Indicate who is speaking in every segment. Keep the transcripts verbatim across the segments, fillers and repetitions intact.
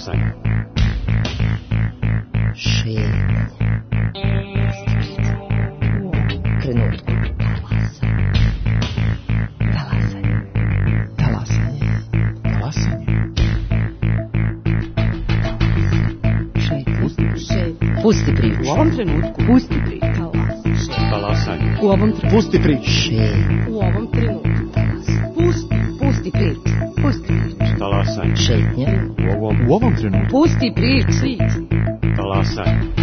Speaker 1: Talasanje.
Speaker 2: Šetnje. U trenutku. Talasanje. Talasanje.
Speaker 1: Talasanje.
Speaker 2: Šetnje. Šetnje. Pusti priču.
Speaker 3: U ovom trenutku.
Speaker 2: Pusti priču.
Speaker 1: Talasanje.
Speaker 3: U ovom trenutku.
Speaker 1: Pusti priču.
Speaker 2: Šetnje.
Speaker 3: U ovom trenutku.
Speaker 2: Pusti. Pusti priču. Pusti priču.
Speaker 1: Talasanje.
Speaker 2: Šetnje.
Speaker 1: U ovom, u ovom trenutku.
Speaker 2: Pusti priču.
Speaker 1: Talasanje.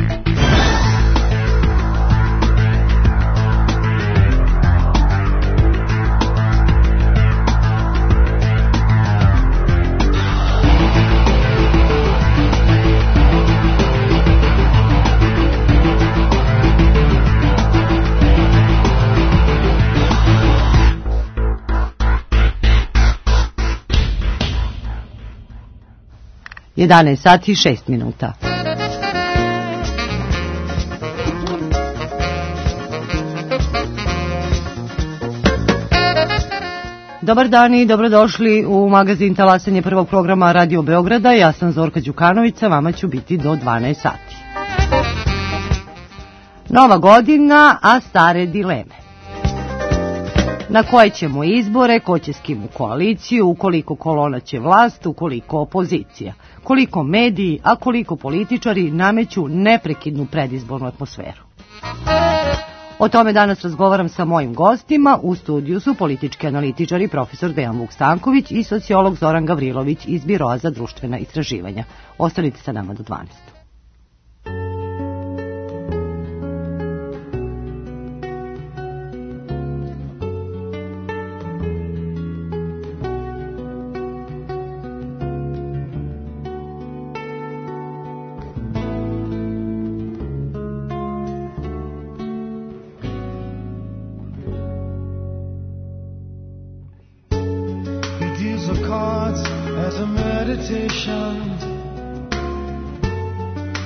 Speaker 2: jedanaest sati i šest minuta. Dobar dan i dobrodošli u magazin Talasanje prvog programa Radio Beograda. Ja sam Zorka Đukanović, sa vama ću biti do dvanaest sati. Nova godina, a stare dileme. Na koje ćemo izbore, ko će s kim u koaliciju, ukoliko kolona će vlast, ukoliko opozicija, koliko mediji, a koliko političari nameću neprekidnu predizbornu atmosferu. O tome danas razgovaram sa mojim gostima. U studiju su politički analitičari profesor Dejan Vuk Stanković i sociolog Zoran Gavrilović iz Biroa za društvena istraživanja. Ostanite sa nama do dvanaest.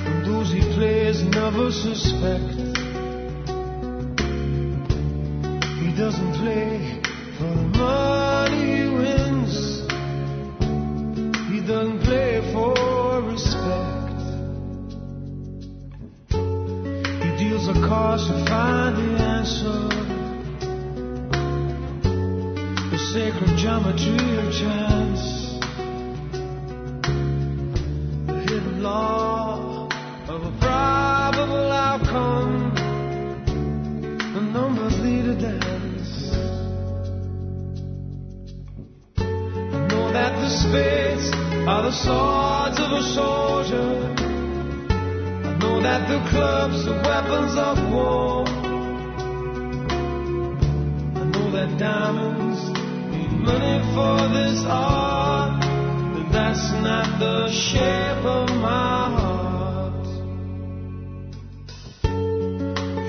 Speaker 4: And those he plays never suspect. He doesn't play for the money he wins. He doesn't play for respect. He deals the cards to find the answer. The sacred geometry of chance. Law of a probable outcome. The numbers lead a dance. I know that the spades are the swords of a soldier. I know that the clubs are weapons of war. I know that diamonds mean money for this art. That's not the shape of my heart.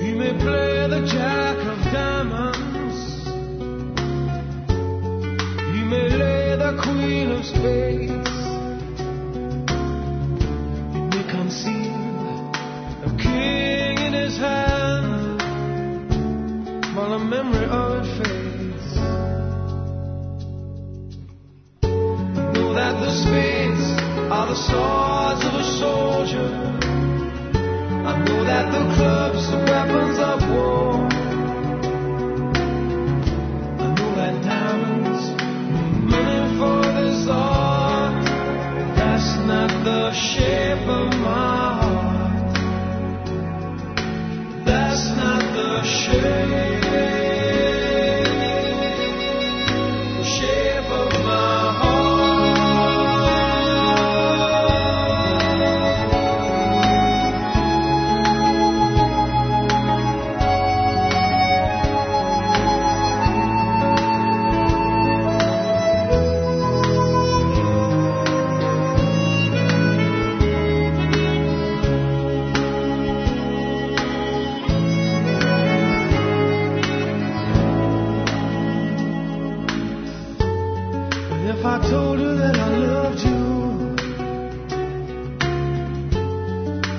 Speaker 4: He may play the jack of diamonds. He may lay the queen of spades. He may conceal a king in his hand while the memory of it fades. That the spades are the swords of a soldier. I know that the clubs are weapons of war. I know that diamonds mean money for this art. That's not the shape of my heart. That's not the shape. If I told you that I loved you,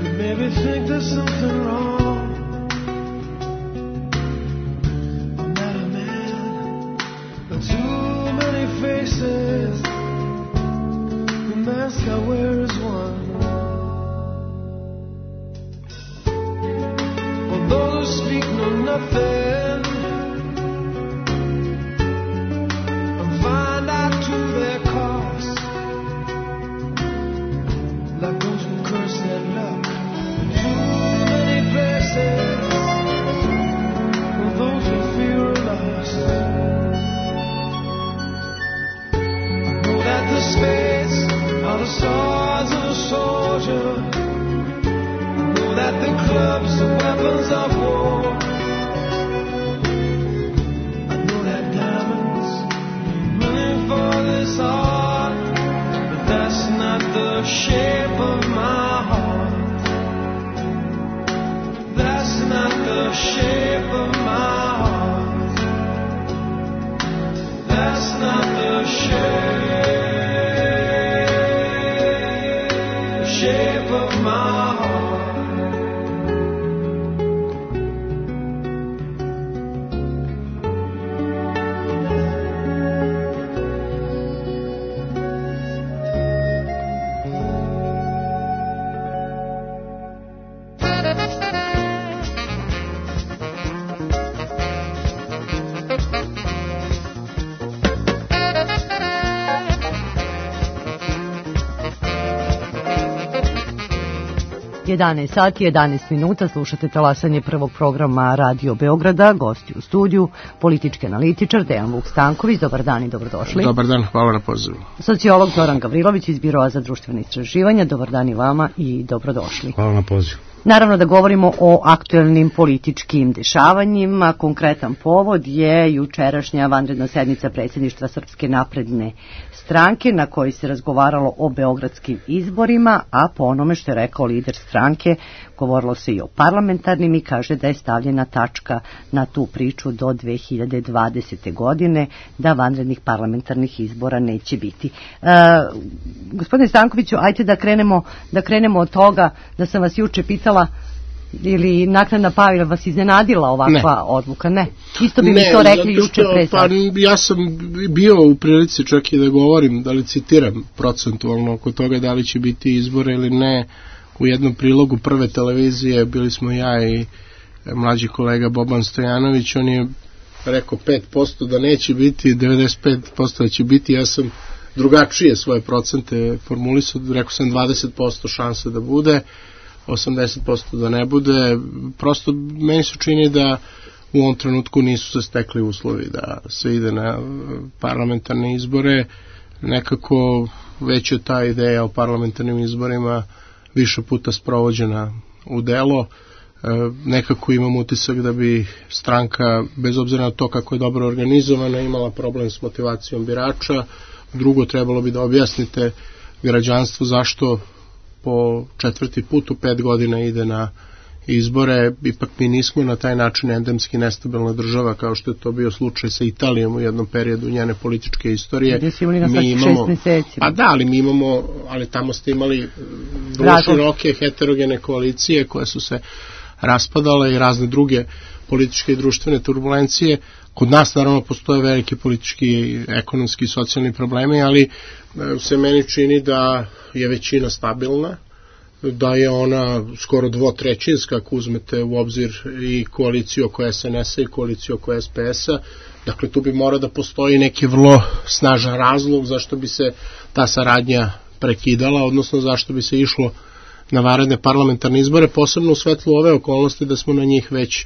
Speaker 4: you'd maybe think there's something wrong. I'm not a man with too many faces. The mask I wear is one. nothing and find out to their cost, like those who curse their luck in too many places, or those who feel lost. I know that the spades are the swords of a soldier, that the clubs are weapons of war. I know that diamonds running for this art, but that's not the shape of my heart. That's not the shape of my heart. That's not the shape, shape of my heart.
Speaker 2: jedanaest sati, jedanaest minuta, slušate talasanje prvog programa Radio Beograda, gosti u studiju, politički analitičar Dejan Vuk Stanković. Dobar dan i dobrodošli.
Speaker 3: Dobar dan, hvala na pozivu.
Speaker 2: Sociolog Zoran Gavrilović iz Biroa za društvene istraživanja. Dobar dan i vama i dobrodošli.
Speaker 5: Hvala na pozivu.
Speaker 2: Naravno da govorimo o aktuelnim političkim dešavanjima. Konkretan povod je jučerašnja vanredna sednica predsjedništva Srpske napredne stranke na kojoj se razgovaralo o beogradskim izborima, a po onome što je rekao lider stranke, govorilo se i o parlamentarnim i kaže da je stavljena tačka na tu priču do dve hiljade dvadesete. godine, da vanrednih parlamentarnih izbora neće biti. E, gospodine Stankoviću, ajte da krenemo, da krenemo od toga da sam vas juče pitala ili naknadna pamet vas iznenadila ovakva ne. odluka? Ne. Isto bi ne, mi to rekli juče pre sad.
Speaker 3: Pa ja sam bio u prilici čak i da govorim, da li citiram procentualno oko toga da li će biti izbora ili ne. U jednom prilogu Prve televizije bili smo ja i mlađi kolega Boban Stojanović, on je rekao pet posto da neće biti, devedeset pet posto da će biti, ja sam drugačije svoje procente formulisao, rekao sam dvadeset posto šanse da bude, osamdeset posto da ne bude. Prosto meni se čini da u ovom trenutku nisu se stekli uslovi da se ide na parlamentarne izbore. Nekako već je ta ideja o parlamentarnim izborima više puta sprovođena u delo. E, nekako imam utisak da bi stranka, bez obzira na to kako je dobro organizovana, imala problem s motivacijom birača. Drugo, trebalo bi da objasnite građanstvu zašto po četvrti put u pet godina ide na izbore. Ipak mi nismo na taj način endemski nestabilna država kao što je to bio slučaj sa Italijom u jednom periodu njene političke istorije.
Speaker 2: Gdje si imali na svaki šest meseci.
Speaker 3: Pa da, ali mi imamo, ali tamo ste imali vrlo široke heterogene koalicije koje su se raspadale i razne druge političke i društvene turbulencije. Kod nas naravno postoje veliki politički, ekonomski i socijalni problemi, ali se meni čini da je većina stabilna, da je ona skoro dvotrećinska ako uzmete u obzir i koaliciju oko es en es a i koaliciju oko es pe es a. Dakle, tu bi morao da postoji neki vrlo snažan razlog zašto bi se ta saradnja prekidala, odnosno zašto bi se išlo na vanredne parlamentarne izbore, posebno u svetlu ove okolnosti da smo na njih već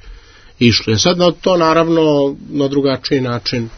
Speaker 3: išli. Sad na to naravno na drugačiji način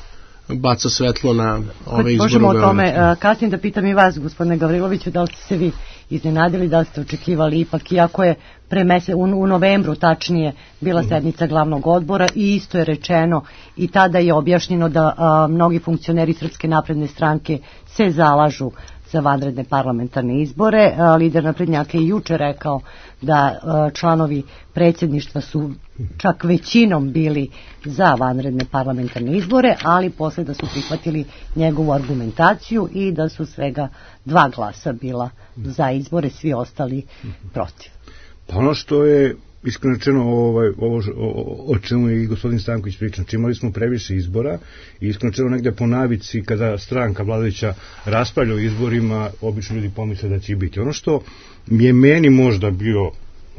Speaker 3: baca svetlo na ove izbore.
Speaker 2: Možemo o tome kasnije da pitam i vas, gospodine Gavriloviću, da li ste se vi iznenadili, da li ste očekivali ipak, iako je pre mese, u, u novembru tačnije bila sednica glavnog odbora i isto je rečeno i tada je objašnjeno da a, mnogi funkcioneri Srpske napredne stranke se zalažu za vanredne parlamentarne izbore. A, lider naprednjaka je juče rekao da a, članovi predsjedništva su čak većinom bili za vanredne parlamentarne izbore, ali posle da su prihvatili njegovu argumentaciju i da su svega dva glasa bila za izbore, svi ostali protiv.
Speaker 5: Pa ono što je iskreno rečeno ovaj, ovo o, o čemu je i gospodin Stanković pričao, imali smo previše izbora i iskreno rečeno negde po navici kada stranka vladajuća raspravlja o izborima, obično ljudi pomisle da će biti. Ono što je meni možda bio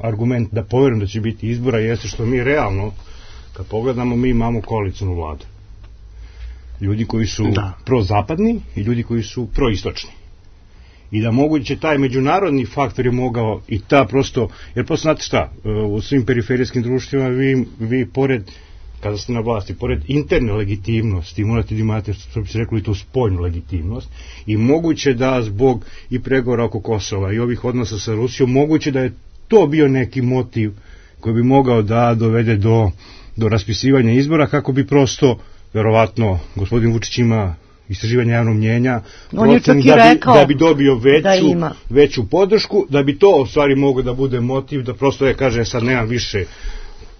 Speaker 5: argument da poverujem da će biti izbora jeste što mi realno Kad pogledamo, mi imamo koalicijnu vladu. Ljudi koji su da. prozapadni i ljudi koji su proistočni. I da moguće taj međunarodni faktor je mogao i ta prosto, jer prosto znate šta, u svim periferijskim društvima vi, vi pored, kada ste na vlasti, pored interne legitimnosti, morate da imate, što bi se rekli, tu spoljnu legitimnost i moguće da zbog i pregovora oko Kosova i ovih odnosa sa Rusijom, moguće da je to bio neki motiv koji bi mogao da dovede do, do raspisivanja izbora, kako bi prosto, verovatno, gospodin Vučić ima istraživanje javnog mnjenja,
Speaker 2: on je čak i
Speaker 5: da, bi,
Speaker 2: rekao
Speaker 5: da bi dobio veću,
Speaker 2: da
Speaker 5: veću podršku, da bi to u stvari moglo da bude motiv, da prosto je, kaže, sad nemam više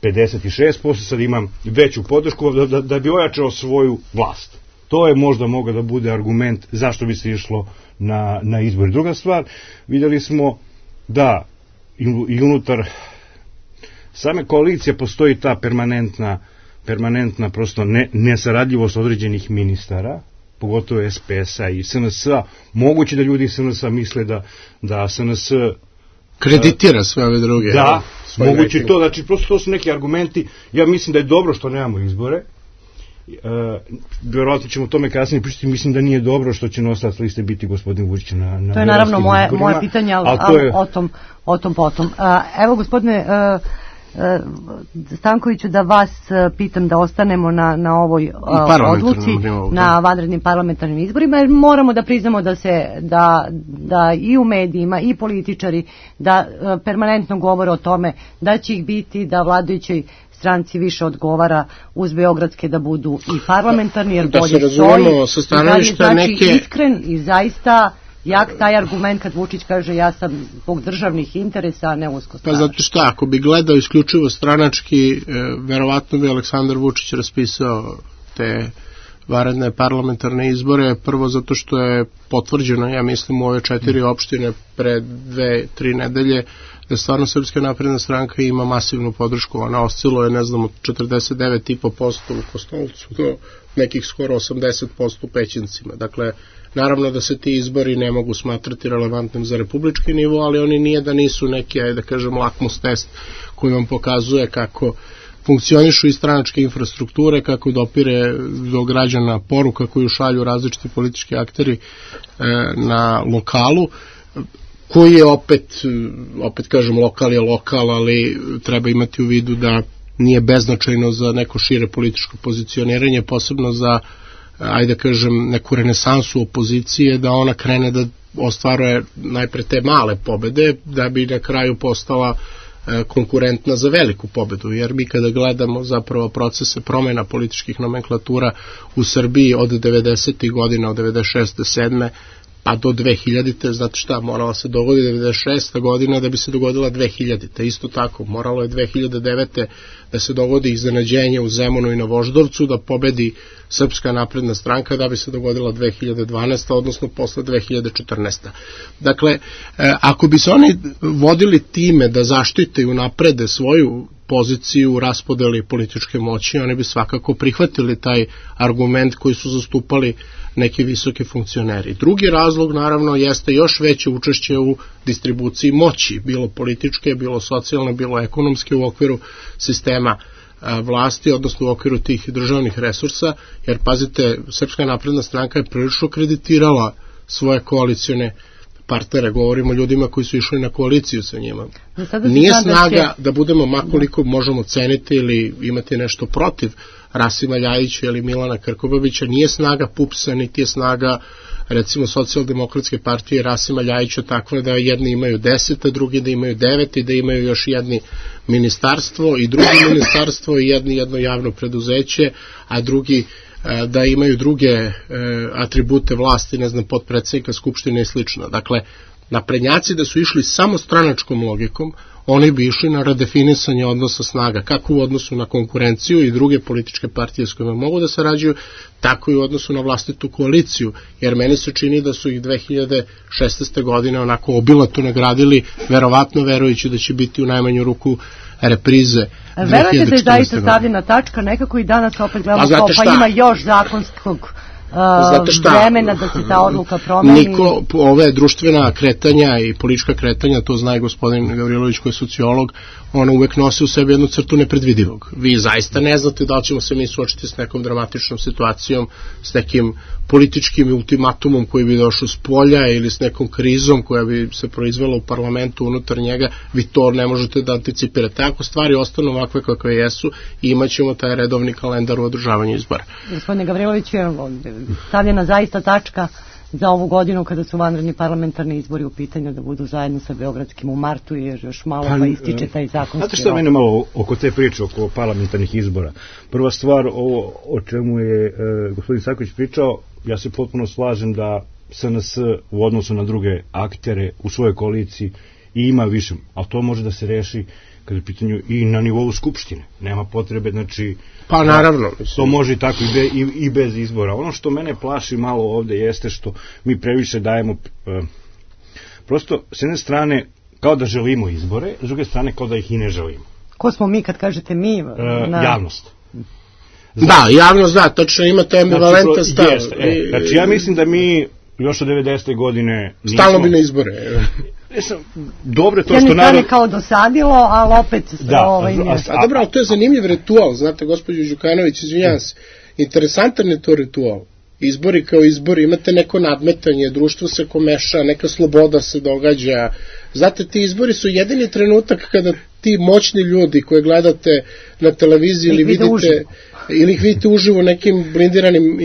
Speaker 5: pedeset šest posto, sad imam veću podršku, da, da, da bi ojačao svoju vlast. To je možda mogao da bude argument zašto bi se išlo na, na izbor. Druga stvar, vidjeli smo da i, i unutar same koalicije postoji ta permanentna permanentna prosto ne, nesaradljivost određenih ministara, pogotovo es pe es a i es en es a. Moguće da ljudi iz es en es a misle da, da es en es
Speaker 3: kreditira sve ove druge.
Speaker 5: Da, moguće neki. To, znači prosto to su neki argumenti. Ja mislim da je dobro što nemamo izbore. E, vjerojatno ćemo o tome kasnije pričati. Mislim da nije dobro što će nosilac liste biti gospodin Vučić na, na
Speaker 2: to je naravno moje, moje pitanje, ali, ali je... o, tom, o tom potom. A, evo gospodine a, a, Stankoviću, da vas pitam da ostanemo na, na ovoj a, odluci, na vanrednim parlamentarnim izborima, jer moramo da priznamo da se da, da i u medijima i političari da a, permanentno govore o tome da će ih biti, da vladajući stranci više odgovara uz beogradske da budu i parlamentarni, jer
Speaker 3: da
Speaker 2: bolje
Speaker 3: se razumemo sa stanovišta
Speaker 2: znači
Speaker 3: neke...
Speaker 2: iskren i zaista jak taj argument kad Vučić kaže ja sam zbog državnih interesa, a ne uskostranački.
Speaker 3: Pa zato što ako bi gledao isključivo stranački, e, verovatno bi Aleksandar Vučić raspisao te vanredne parlamentarne izbore, prvo zato što je potvrđeno, ja mislim, u ove četiri opštine pre dve, tri nedelje, da stvarno Srpska napredna stranka ima masivnu podršku. Ona osciluje, ne znam, od četrdeset devet zarez pet posto u Kostolcu do nekih skoro osamdeset posto u Pećincima. Dakle, naravno da se ti izbori ne mogu smatrati relevantnim za republički nivo, ali oni nije da nisu neki, ajde da kažem, lakmus test koji vam pokazuje kako funkcionišu i stranačke infrastrukture, kako dopire do građana poruka koju šalju različiti politički akteri e, na lokalu, koji je opet, opet kažem, lokal je lokal, ali treba imati u vidu da nije beznačajno za neko šire političko pozicioniranje, posebno za, ajde kažem, neku renesansu opozicije, da ona krene da ostvaruje najpre te male pobede, da bi na kraju postala konkurentna za veliku pobedu, jer mi kada gledamo zapravo procese promjena političkih nomenklatura u Srbiji od devedesetih godina, od devedeset šeste sedme pa do dve hiljadite, znate šta, morala se dogodi devedeset šesta godina da bi se dogodila dve hiljadite. Isto tako, moralo je dve hiljade devete da se dogodi iznenađenje u Zemunu i na Voždovcu, da pobedi Srpska napredna stranka, da bi se dogodila dve hiljade dvanaesta. odnosno posle dve hiljade četrnaeste. Dakle, ako bi se oni vodili time da zaštite i unaprede svoju poziciju u raspodeli političke moći, oni bi svakako prihvatili taj argument koji su zastupali neki visoki funkcioneri. Drugi razlog, naravno, jeste još veće učešće u distribuciji moći, bilo političke, bilo socijalne, bilo ekonomske u okviru sistema vlasti, odnosno u okviru tih državnih resursa, jer, pazite, Srpska napredna stranka je prilično kreditirala svoje koalicione partnere, govorimo o ljudima koji su išli na koaliciju sa njima. Nije snaga da budemo makoliko možemo ceniti ili imati nešto protiv Rasima Ljajića ili Milana Krkobabića, nije snaga pupsa, niti je snaga recimo socijaldemokratske partije Rasima Ljajića takva da jedni imaju deset, a drugi da imaju devet i da imaju još jedni ministarstvo i drugi ministarstvo i jedni jedno javno preduzeće, a drugi da imaju druge e, atribute vlasti, ne znam, potpredsednika Skupštine i slično. Dakle, naprednjaci da su išli samo stranačkom logikom, oni bi išli na redefinisanje odnosa snaga, kako u odnosu na konkurenciju i druge političke partije s kojima mogu da sarađuju, tako i u odnosu na vlastitu koaliciju, jer meni se čini da su ih dve hiljade šesnaeste. godine onako obilato nagradili, verovatno verujući da će biti u najmanju ruku reprize.
Speaker 2: Verujete da je zaista stavljena tačka, nekako i danas opet gledamo kao, pa ima još zakonskog
Speaker 3: Znate šta,
Speaker 2: vremena da se ta odluka promeni?
Speaker 3: Niko, ove društvena kretanja i politička kretanja, to zna i gospodin Gavrilović koji je sociolog, ona uvek nosi u sebi jednu crtu nepredvidivog. Vi zaista ne znate da li ćemo se mi suočiti s nekom dramatičnom situacijom, s nekim političkim ultimatumom koji bi došao s polja ili s nekom krizom koja bi se proizvela u parlamentu unutar njega, vi to ne možete da anticipirate. Ako stvari ostanu ovakve kakve jesu, imat ćemo taj redovni kalendar u održavanju izbora.
Speaker 2: Gospodine Gavrilović, stavljena zaista tačka za ovu godinu kada su vanredni parlamentarni izbori u pitanju da budu zajedno sa beogradskim u martu, jer još malo pa, pa ističe taj zakonski rok.
Speaker 5: Znate šta mene malo oko te priče, oko parlamentarnih izbora? Prva stvar, ovo o čemu je e, gospodin Saković pričao, ja se potpuno slažem da S N S u odnosu na druge aktere u svojoj koaliciji i ima više, ali to može da se reši kada je pitanju i na nivou Skupštine. Nema potrebe, znači...
Speaker 3: Pa naravno.
Speaker 5: To može i tako i, be, i, i bez izbora. Ono što mene plaši malo ovde jeste što mi previše dajemo... E, prosto, s jedne strane, kao da želimo izbore, s druge strane, kao da ih i ne želimo.
Speaker 2: Ko smo mi kad kažete mi?
Speaker 5: E, na... Javnost.
Speaker 3: Znači, da, javnost, da, tačno imate ambivalentan stav.
Speaker 5: Znači, e, znači, ja mislim da mi još od devedesete godine nismo...
Speaker 3: Stalno bi na izbore.
Speaker 5: Dobro je to
Speaker 2: što
Speaker 5: narod...
Speaker 2: Jedne strane kao dosadilo, ali opet...
Speaker 5: Da,
Speaker 2: ovaj,
Speaker 5: a, a,
Speaker 3: a dobro, ali to je zanimljiv ritual, znate, gospođo Đukanović, izvinjam se, interesantan je to ritual. Izbori kao izbori, imate neko nadmetanje, društvo se komeša, neka sloboda se događa. Znate, ti izbori su jedini trenutak kada ti moćni ljudi koje gledate na televiziji ili vidite... ili ih vidite uživo nekim blindiranim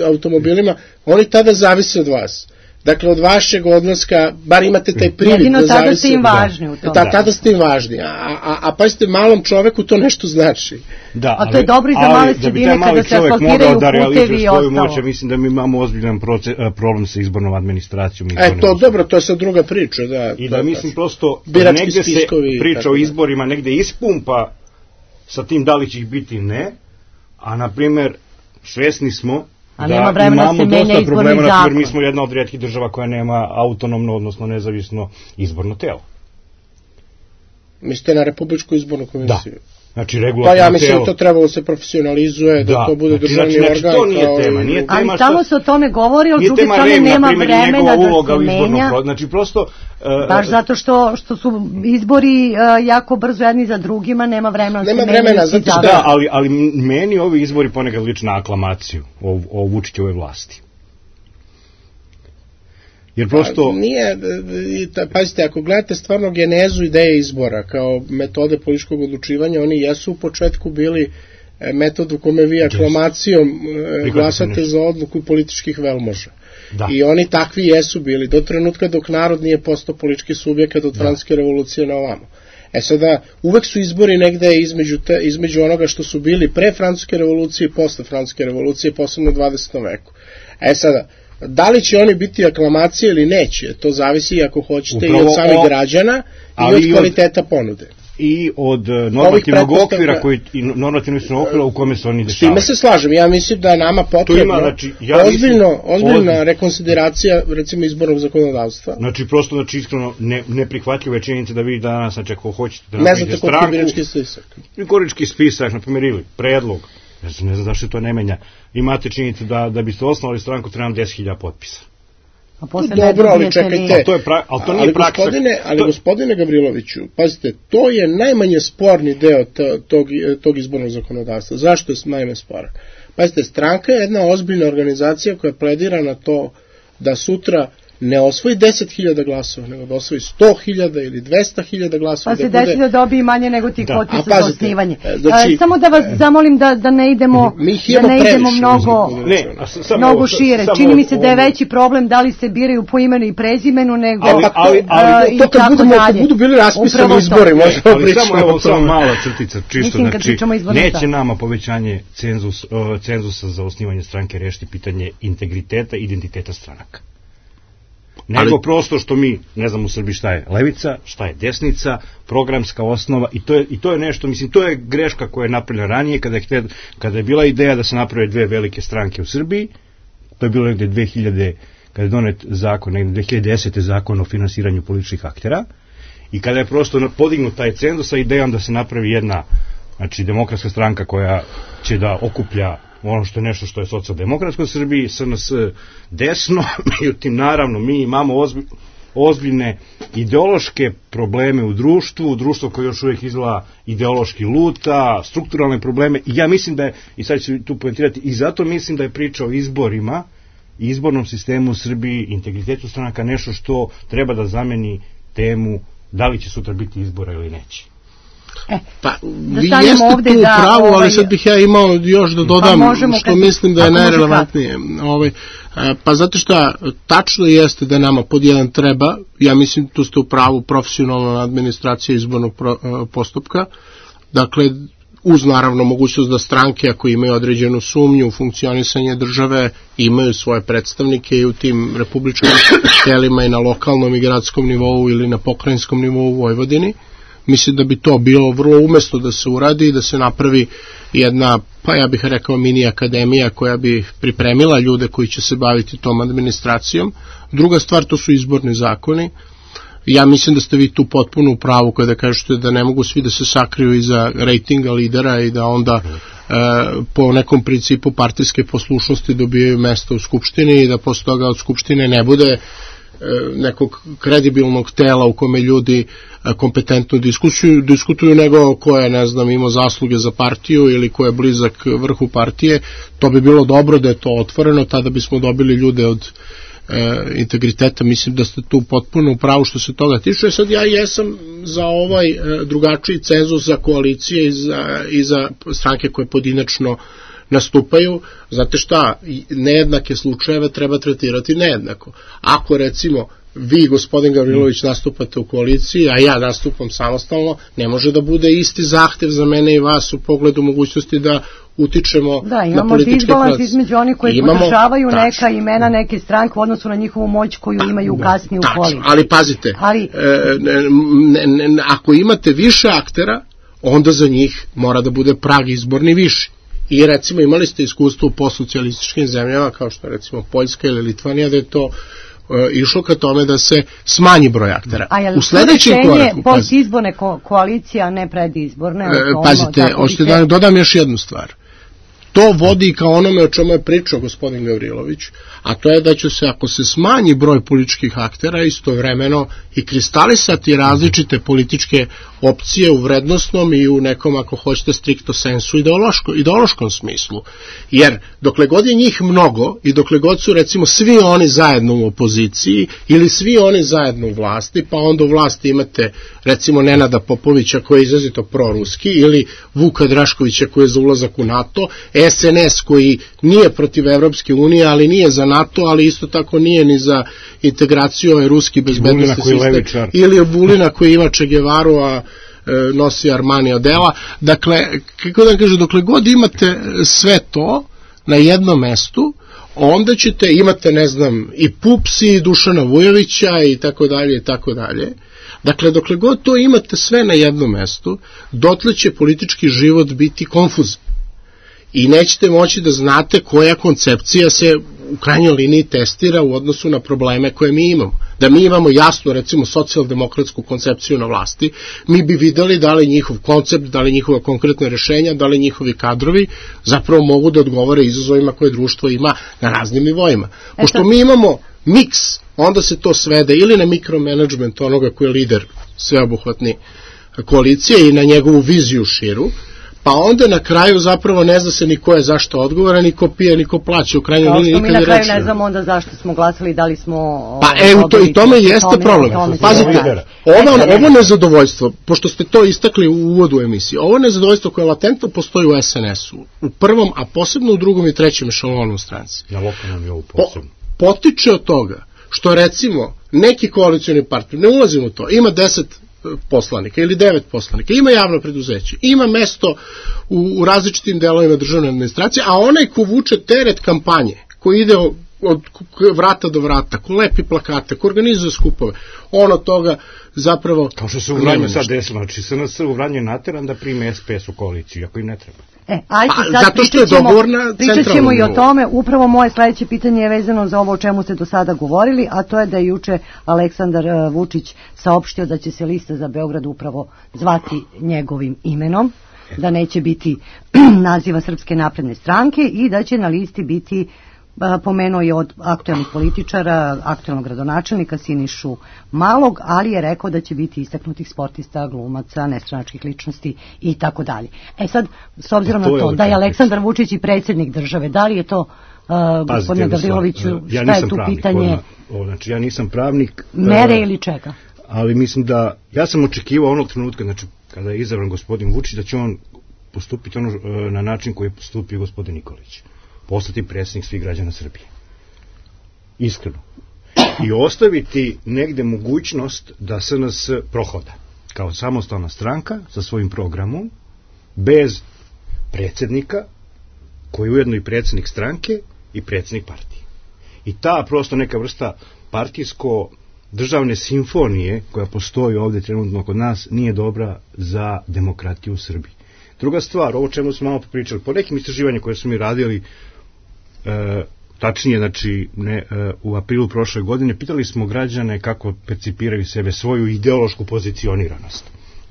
Speaker 3: automobilima, oni tada zavise od vas. Dakle, od vašeg odlaska, bar imate taj privid da zavise.
Speaker 2: Jedino tada ste im važni u tom.
Speaker 3: Da, tada ste im važni. A, a, a pazite, malom čoveku to nešto znači.
Speaker 5: Da,
Speaker 2: a to je dobro i za male sredine kada se asfaltiraju
Speaker 5: da
Speaker 2: putevi i ostalo.
Speaker 5: Moć, mislim da mi imamo ozbiljan proces, problem sa izbornom administracijom.
Speaker 3: E, to dobro, to je sad druga priča. Da,
Speaker 5: I da
Speaker 3: to,
Speaker 5: mislim prosto,
Speaker 3: negde
Speaker 5: se priča o
Speaker 3: da.
Speaker 5: izborima, negde ispumpa sa tim da li će ih biti ne, a na primer svesni smo
Speaker 2: a
Speaker 5: da imamo dosta problema, na primjer mi smo jedna od rijetkih država koja nema autonomno, odnosno nezavisno izborno telo.
Speaker 3: Mislite na Republičku izbornu komisiju?
Speaker 5: Da. Znači, regulatorno
Speaker 3: pa ja mislim
Speaker 5: telo.
Speaker 3: Da to trebalo se profesionalizuje, da, da to bude
Speaker 5: znači,
Speaker 3: državni
Speaker 5: znači,
Speaker 3: organ.
Speaker 5: To nije tema, nije tema.
Speaker 2: Ali tamo se o tome govori, ali druge strane nema vremena da se menja.
Speaker 5: Znači, prosto... Uh,
Speaker 2: Baš zato što, što su izbori uh, jako brzo jedni za drugima, nema vremena.
Speaker 3: Nema vremena, zato što...
Speaker 5: Da, ali, ali meni ovi izbori ponekad liče na aklamaciju o, o Vučićevoj vlasti. Jer prosto...
Speaker 3: Pa, nije, pazite, ako gledate stvarno genezu ideje izbora kao metode političkog odlučivanja, oni jesu u početku bili metod u kome vi aklamacijom yes. glasate za odluku političkih velmoža. Da. I oni takvi jesu bili do trenutka dok narod nije postao politički subjekat od Francuske revolucije na ovamo. E sada, uvek su izbori negde između, te, između onoga što su bili pre Francuske revolucije i posle Francuske revolucije, posebno u dvadesetom veku. E sada, da li će oni biti aklamacije ili neće, to zavisi ako hoćete upravo i od samih o, građana i od kvaliteta od, ponude.
Speaker 5: I od normativnog okvira koji, i normativnog okvira u kome se oni dešavaju.
Speaker 3: S time se slažem, ja mislim da je nama potrebno ima, znači, ja ozbiljno, mislim, ozbiljna od... rekonsideracija recimo izbornog zakonodavstva.
Speaker 5: Znači prosto, znači iskreno ne, neprihvatljive činjenice da vi danas, znači ako hoćete da
Speaker 3: napravite stranku... Ne znate birački spisak.
Speaker 5: Birački spisak, na primjer, ili predlog, ne znam, ne znam zašto to ne menja, imate činjenicu da, da biste osnovali stranku trebam deset hiljada potpisa.
Speaker 3: Dobro, ali čekajte,
Speaker 5: ali to, je pra, ali to nije ali praksa.
Speaker 3: Gospodine, ali
Speaker 5: to...
Speaker 3: gospodine Gavriloviću, pazite, to je najmanje sporni deo tog, tog izbornog zakonodavstva. Zašto je najmanje sporan? Pazite, stranka je jedna ozbiljna organizacija koja pledira na to da sutra ne osvoji deset hiljada glasova, nego da osvoji sto hiljada ili dvesta hiljada glasova.
Speaker 2: Pa se desi da dobije manje nego ti potpisa za osnivanje.
Speaker 3: Znači,
Speaker 2: e, samo da vas zamolim da, da ne idemo, da ne idemo mnogo,
Speaker 5: ne, sam,
Speaker 2: mnogo šire. Samo, Čini mi se da je veći problem da li se biraju po imenu i prezimenu, nego
Speaker 3: ali, ali, ali, to kad budu, kad budu bili raspisani izbori, možemo pričati.
Speaker 5: Samo, evo, samo mala crtica, čisto, znači, neće nama povećanje cenzus, uh, cenzusa za osnivanje stranke rešiti pitanje integriteta i identiteta stranaka. Nego ali, prosto što mi, ne znam u Srbiji šta je levica, šta je desnica, programska osnova i to je, i to je nešto, mislim, to je greška koja je napravljena ranije kada je, htjed, kada je bila ideja da se naprave dve velike stranke u Srbiji, to je bilo negde dve hiljade, kada je donet zakon, negde dve hiljade desete zakon o finansiranju političkih aktera i kada je prosto podignut taj cenzus sa idejom da se napravi jedna, znači demokratska stranka koja će da okuplja ono što je nešto što je socijaldemokratsko u Srbiji, S N S desno, međutim, naravno, mi imamo ozbilj, ozbiljne ideološke probleme u društvu, društvo koje još uvijek izgleda ideološki luta, strukturalne probleme, i ja mislim da je, i sad ću tu poentirati, i zato mislim da je priča o izborima, izbornom sistemu u Srbiji, integritetu stranaka, nešto što treba da zameni temu da li će sutra biti izbora ili neće.
Speaker 2: E,
Speaker 3: pa, vi jeste tu u
Speaker 2: da,
Speaker 3: pravu,
Speaker 2: ovaj,
Speaker 3: ali sad bih ja imao još da dodam pa što kad, mislim da je najrelevantnije. Ovaj, pa zato što tačno jeste da nama pod jedan treba, ja mislim tu ste u pravu, profesionalna administracija izbornog pro, postupka, dakle uz naravno mogućnost da stranke ako imaju određenu sumnju u funkcionisanje države imaju svoje predstavnike i u tim republičkim telima i na lokalnom i gradskom nivou ili na pokrajinskom nivou u Vojvodini. Mislim da bi to bilo vrlo umesno da se uradi i da se napravi jedna, pa ja bih rekao mini akademija koja bi pripremila ljude koji će se baviti tom administracijom. Druga stvar, to su izborni zakoni. Ja mislim da ste vi tu potpuno u pravu kada kažete da ne mogu svi da se sakriju iza rejtinga lidera i da onda e, po nekom principu partijske poslušnosti dobijaju mesta u Skupštini i da posle toga od Skupštine ne bude nekog kredibilnog tela u kome ljudi kompetentno diskutuju, diskutuju nego ko je, ne znam, imao zasluge za partiju ili ko je blizak vrhu partije. To bi bilo dobro da je to otvoreno, tada bismo dobili ljude od e, integriteta. Mislim da ste tu potpuno u pravu što se toga tiče. Sad ja jesam za ovaj e, drugačiji cenzus za koalicije i za, i za stranke koje pojedinačno nastupaju, znate šta, nejednake slučajeve treba tretirati nejednako. Ako recimo vi, gospodin Gavrilović, nastupate u koaliciji, a ja nastupam samostalno, ne može da bude isti zahtev za mene i vas u pogledu mogućnosti da utičemo
Speaker 2: da,
Speaker 3: na političke
Speaker 2: Da, imamo između onih koji imamo, podržavaju tačno, neka imena, neke stranke u odnosu na njihovu moć koju imaju da, kasnije u koaliciji.
Speaker 3: Ali pazite, ali, e, ne, ne, ne, ako imate više aktera, onda za njih mora da bude prag izborni viši. I recimo imali ste iskustvo u postsocijalističkim zemljama kao što je recimo Poljska ili Litvanija da je to uh, išlo ka tome da se smanji broj aktera.
Speaker 2: A je li to rešenje postizborne ko koalicija, ne predizborne?
Speaker 3: Uh, pazite, hoćete da dodam još jednu stvar. To vodi ka onome o čemu je pričao gospodin Gavrilović, a to je da će se, ako se smanji broj političkih aktera, istovremeno i kristalisati različite političke opcije u vrednostnom i u nekom, ako hoćete, stricto sensu ideološko, ideološkom smislu. Jer dokle god je njih mnogo i dokle god su recimo svi oni zajedno u opoziciji ili svi oni zajedno u vlasti, pa onda u vlasti imate recimo Nenada Popovića koji je izrazito proruski ili Vuka Draškovića koji je za ulazak u NATO, S N S koji nije protiv Evropske unije, ali nije za NATO, ali isto tako nije ni za integraciju ovaj ruski bezbednosni sistem, ili Vulina koji ima Che Guevaru, a e, nosi Armani odela. Dakle, kako da kažem, dokle god imate sve to na jednom mestu, onda ćete, imate, ne znam, i Pupsi, i Dušana Vujovića i tako dalje i tako dalje. Dakle, dokle god to imate sve na jednom mestu, dotle će politički život biti konfuzan. I nećete moći da znate koja koncepcija se u krajnjoj liniji testira u odnosu na probleme koje mi imamo. Da mi imamo jasno, recimo, socijaldemokratsku koncepciju na vlasti, mi bi videli da li njihov koncept, da li njihova konkretna rešenja, da li njihovi kadrovi zapravo mogu da odgovore izazovima koje društvo ima na raznim nivoima. Pošto mi imamo miks, onda se to svede ili na mikromanagement onoga koji je lider sveobuhvatni koalicije i na njegovu viziju širu, pa onda na kraju zapravo ne zna se ni ko je zašto odgovoran, ni ko pije, ni ko plaća. U krajnjoj liniji nikad
Speaker 2: mi na kraju ne znamo onda zašto smo glasali, da li smo...
Speaker 3: Pa evo, to, i tome jeste tome, problem. Tome Pazite, ovo, ovo nezadovoljstvo, pošto ste to istakli u uvodu emisije, ovo nezadovoljstvo koje latentno postoji u S N S-u, u prvom, a posebno u drugom i trećem ešalonu stranci,
Speaker 5: na lokalnom nivou posebno,
Speaker 3: po, potiče od toga što recimo neki koalicioni partner, ne ulazimo u to, ima deset poslanika ili devet poslanika, ima javno preduzeće, ima mesto u, u različitim delovima državne administracije, a onaj ko vuče teret kampanje, ko ide od, od vrata do vrata, ko lepi plakate, ko organizuje skupove, on od toga zapravo...
Speaker 5: Kao što se u Vranju sad desilo, znači S N S u Vranju je nateran da prime S P S u koaliciju, ako im ne treba.
Speaker 2: E, ajde
Speaker 3: pa,
Speaker 2: sad
Speaker 3: zato što je dogovorna
Speaker 2: pričat ćemo i o tome. Upravo moje sledeće pitanje je vezano za ovo o čemu ste do sada govorili, a to je da je juče Aleksandar Vučić saopštio da će se lista za Beograd upravo zvati njegovim imenom. da neće biti naziva Srpske napredne stranke i da će na listi biti, pomenuo je od aktuelnih političara, aktuelnog gradonačelnika Sinišu Malog, ali je rekao da će biti istaknutih sportista, glumaca, nestranačkih ličnosti i tako dalje. E sad, s obzirom
Speaker 5: to
Speaker 2: na to
Speaker 5: je
Speaker 2: da je Aleksandar Vučić i predsjednik države, da li je to, uh, gospodine Gavriloviću,
Speaker 5: ja
Speaker 2: šta je tu
Speaker 5: pravnik,
Speaker 2: pitanje?
Speaker 5: Odmah, znači, ja nisam pravnik.
Speaker 2: Mere
Speaker 5: uh,
Speaker 2: ili čega?
Speaker 5: Ali mislim da, ja sam očekivao onog trenutka, znači, kada je izabran gospodin Vučić, da će on postupiti ono, uh, na način koji je postupio gospodin Nikolić. Postati predsjednik svih građana Srbije. Iskreno. I ostaviti negde mogućnost da S N S prohoda kao samostalna stranka sa svojim programom, bez predsjednika, koji je ujedno i predsjednik stranke i predsjednik partije. I ta prosto neka vrsta partijsko državne simfonije koja postoji ovdje trenutno kod nas nije dobra za demokratiju u Srbiji. Druga stvar, ovo čemu smo malo pričali, po nekim istraživanjima koje smo mi radili, e, tačnije, znači, ne, e, u aprilu prošle godine, pitali smo građane kako percipiraju sebe, svoju ideološku pozicioniranost.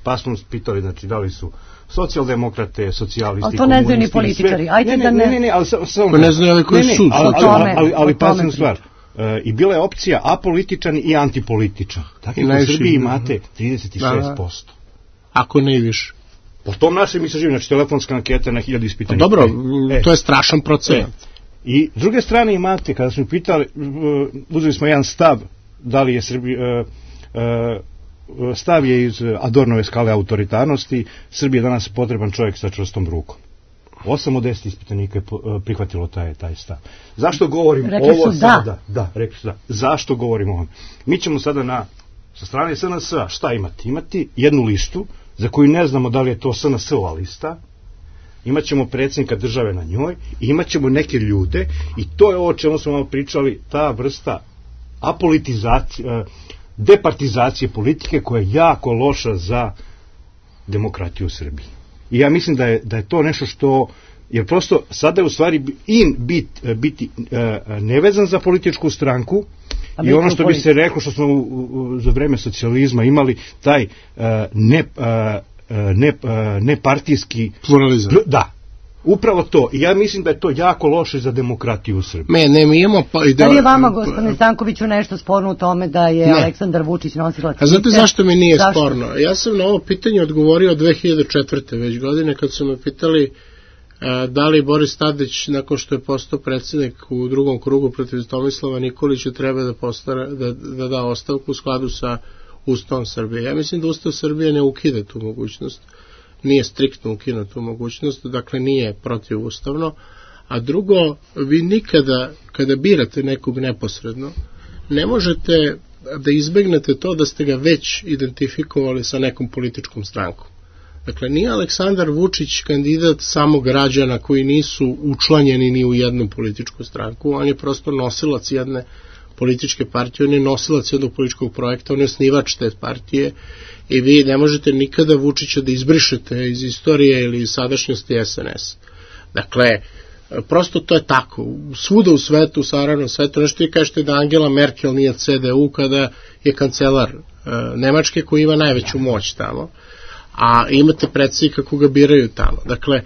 Speaker 5: Pa smo pitali, znači, da li su socijaldemokrate, socijalisti,
Speaker 2: to ne znaju ni političari. Ajde
Speaker 5: ne,
Speaker 2: da
Speaker 5: ne,
Speaker 2: ne...
Speaker 5: ne, ne, ali samo...
Speaker 3: Pa ne znaju ali koji su.
Speaker 5: Ali, ali, ali, ali pasna stvar. E, I bila je opcija apolitičan i antipolitičan. Dakle, u Srbiji imate trideset šest posto.
Speaker 3: Ako ne i više.
Speaker 5: Po tom našem istraživanju, znači telefonska anketa na hiljadu ispitanika.
Speaker 3: Dobro, e, to je strašan procenat.
Speaker 5: E. I s druge strane imate, kada smo pitali, uzeli smo jedan stav, da li je Srbija, stav je iz Adornove skale autoritarnosti, Srbiji je danas potreban čovjek sa čvrstom rukom. Osam od deset ispitanika je prihvatilo taj, taj stav. Zašto govorim
Speaker 2: rekli
Speaker 5: ovo
Speaker 2: su
Speaker 5: sada?
Speaker 2: Da.
Speaker 5: Da, rekli su da. Zašto govorim ovo? Mi ćemo sada na, sa strane S N S-a šta imati? Imati jednu listu za koju ne znamo da li je to S N S-ova lista, imat ćemo predsjednika države na njoj i imat ćemo neke ljude i to je ovo o čemu smo vam pričali, ta vrsta apolitizacije, departizacije politike koja je jako loša za demokratiju u Srbiji. I ja mislim da je, da je to nešto što, jer prosto sada je u stvari in bit, biti nevezan za političku stranku i ono što bi se reklo, što smo u, u, za vreme socijalizma imali, taj uh, ne, uh, ne, uh, nepartijski
Speaker 3: pluralizam.
Speaker 5: Da, upravo to. I ja mislim da je to jako loše za demokratiju u Srbiji.
Speaker 3: Me, ne, mi imamo... Pa,
Speaker 2: da li je vama, gospodine Stankoviću, nešto sporno u tome da je ne. Aleksandar Vučić nosilac liste?
Speaker 3: A znate zašto mi nije
Speaker 2: zašto?
Speaker 3: sporno? Ja sam na ovo pitanje odgovorio dve hiljade četvrte već godine, kad su me pitali da li Boris Tadić, nakon što je postao predsjednik u drugom krugu protiv Tomislava Nikolića, treba da, postara, da, da da ostavku u skladu sa Ustavom Srbije. Ja mislim da Ustav Srbije ne ukida tu mogućnost, nije striktno ukida tu mogućnost, dakle nije protivustavno, a drugo, vi nikada, kada birate nekog neposredno, ne možete da izbegnete to da ste ga već identifikovali sa nekom političkom strankom. Dakle, nije Aleksandar Vučić kandidat samo građana koji nisu učlanjeni ni u jednu političku stranku, on je prosto nosilac jedne političke partije, on je nosilac jednog političkog projekta, on je osnivač te partije i vi ne možete nikada Vučića da izbrišete iz istorije ili iz sadašnjosti S N S. Dakle, prosto to je tako. Svuda u svetu, u saravnom svetu, nešto ti kažete da Angela Merkel nije C D U kada je kancelar e, Nemačke koji ima najveću moć tamo, a imate predsjednika koga biraju tamo. Dakle,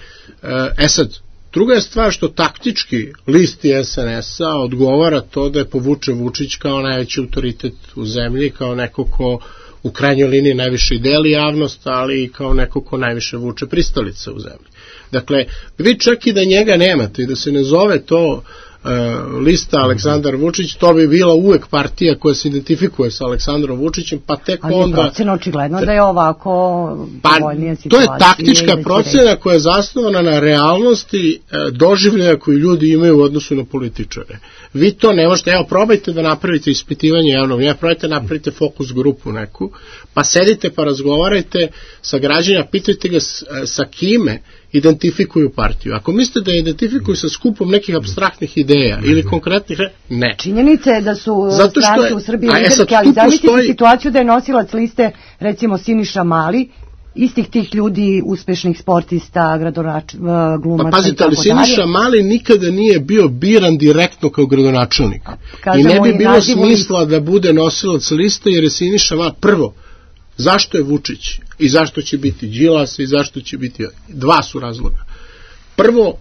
Speaker 3: e sad, druga je stvar što taktički listi S N S-a odgovara to da je povuče Vučić kao najveći autoritet u zemlji, kao neko ko u krajnjoj liniji najviše deli javnost, ali i kao neko ko najviše vuče pristalice u zemlji. Dakle, vi čak i da njega nemate i da se ne zove to uh, lista Aleksandar Vučić, to bi bila uvek partija koja se identifikuje sa Aleksandrom Vučićem, pa tek
Speaker 2: ali
Speaker 3: onda...
Speaker 2: Ali je procena očigledno da je ovako povoljnija
Speaker 3: pa,
Speaker 2: situacija.
Speaker 3: To je taktička procena koja je zasnovana na realnosti uh, doživljaja koju ljudi imaju u odnosu na političare. Vi to ne možete, evo probajte da napravite ispitivanje javnog, ja probajte da napravite fokus grupu neku, pa sedite pa razgovarajte sa građanima, pitajte ga s, sa kime identifikuju partiju. Ako mislite da je identifikuju sa skupom nekih apstraktnih ideja ili konkretnih, ne.
Speaker 2: Činjenica je da su
Speaker 3: zato
Speaker 2: stranke
Speaker 3: je,
Speaker 2: u Srbiji liderske, ali zamislite postoji... situaciju da je nosilac liste, recimo Siniša Mali, istih tih ljudi, uspešnih sportista, gradonač, glumaca
Speaker 3: pa, pazite, ali Siniša Mali nikada nije bio biran direktno kao gradonačelnik. I ne bi bilo smisla da bude nosilac liste, jer je Siniša Mali prvo Zašto je Vučić i zašto će biti Đilas i zašto će biti... Dva su razloga. Prvo,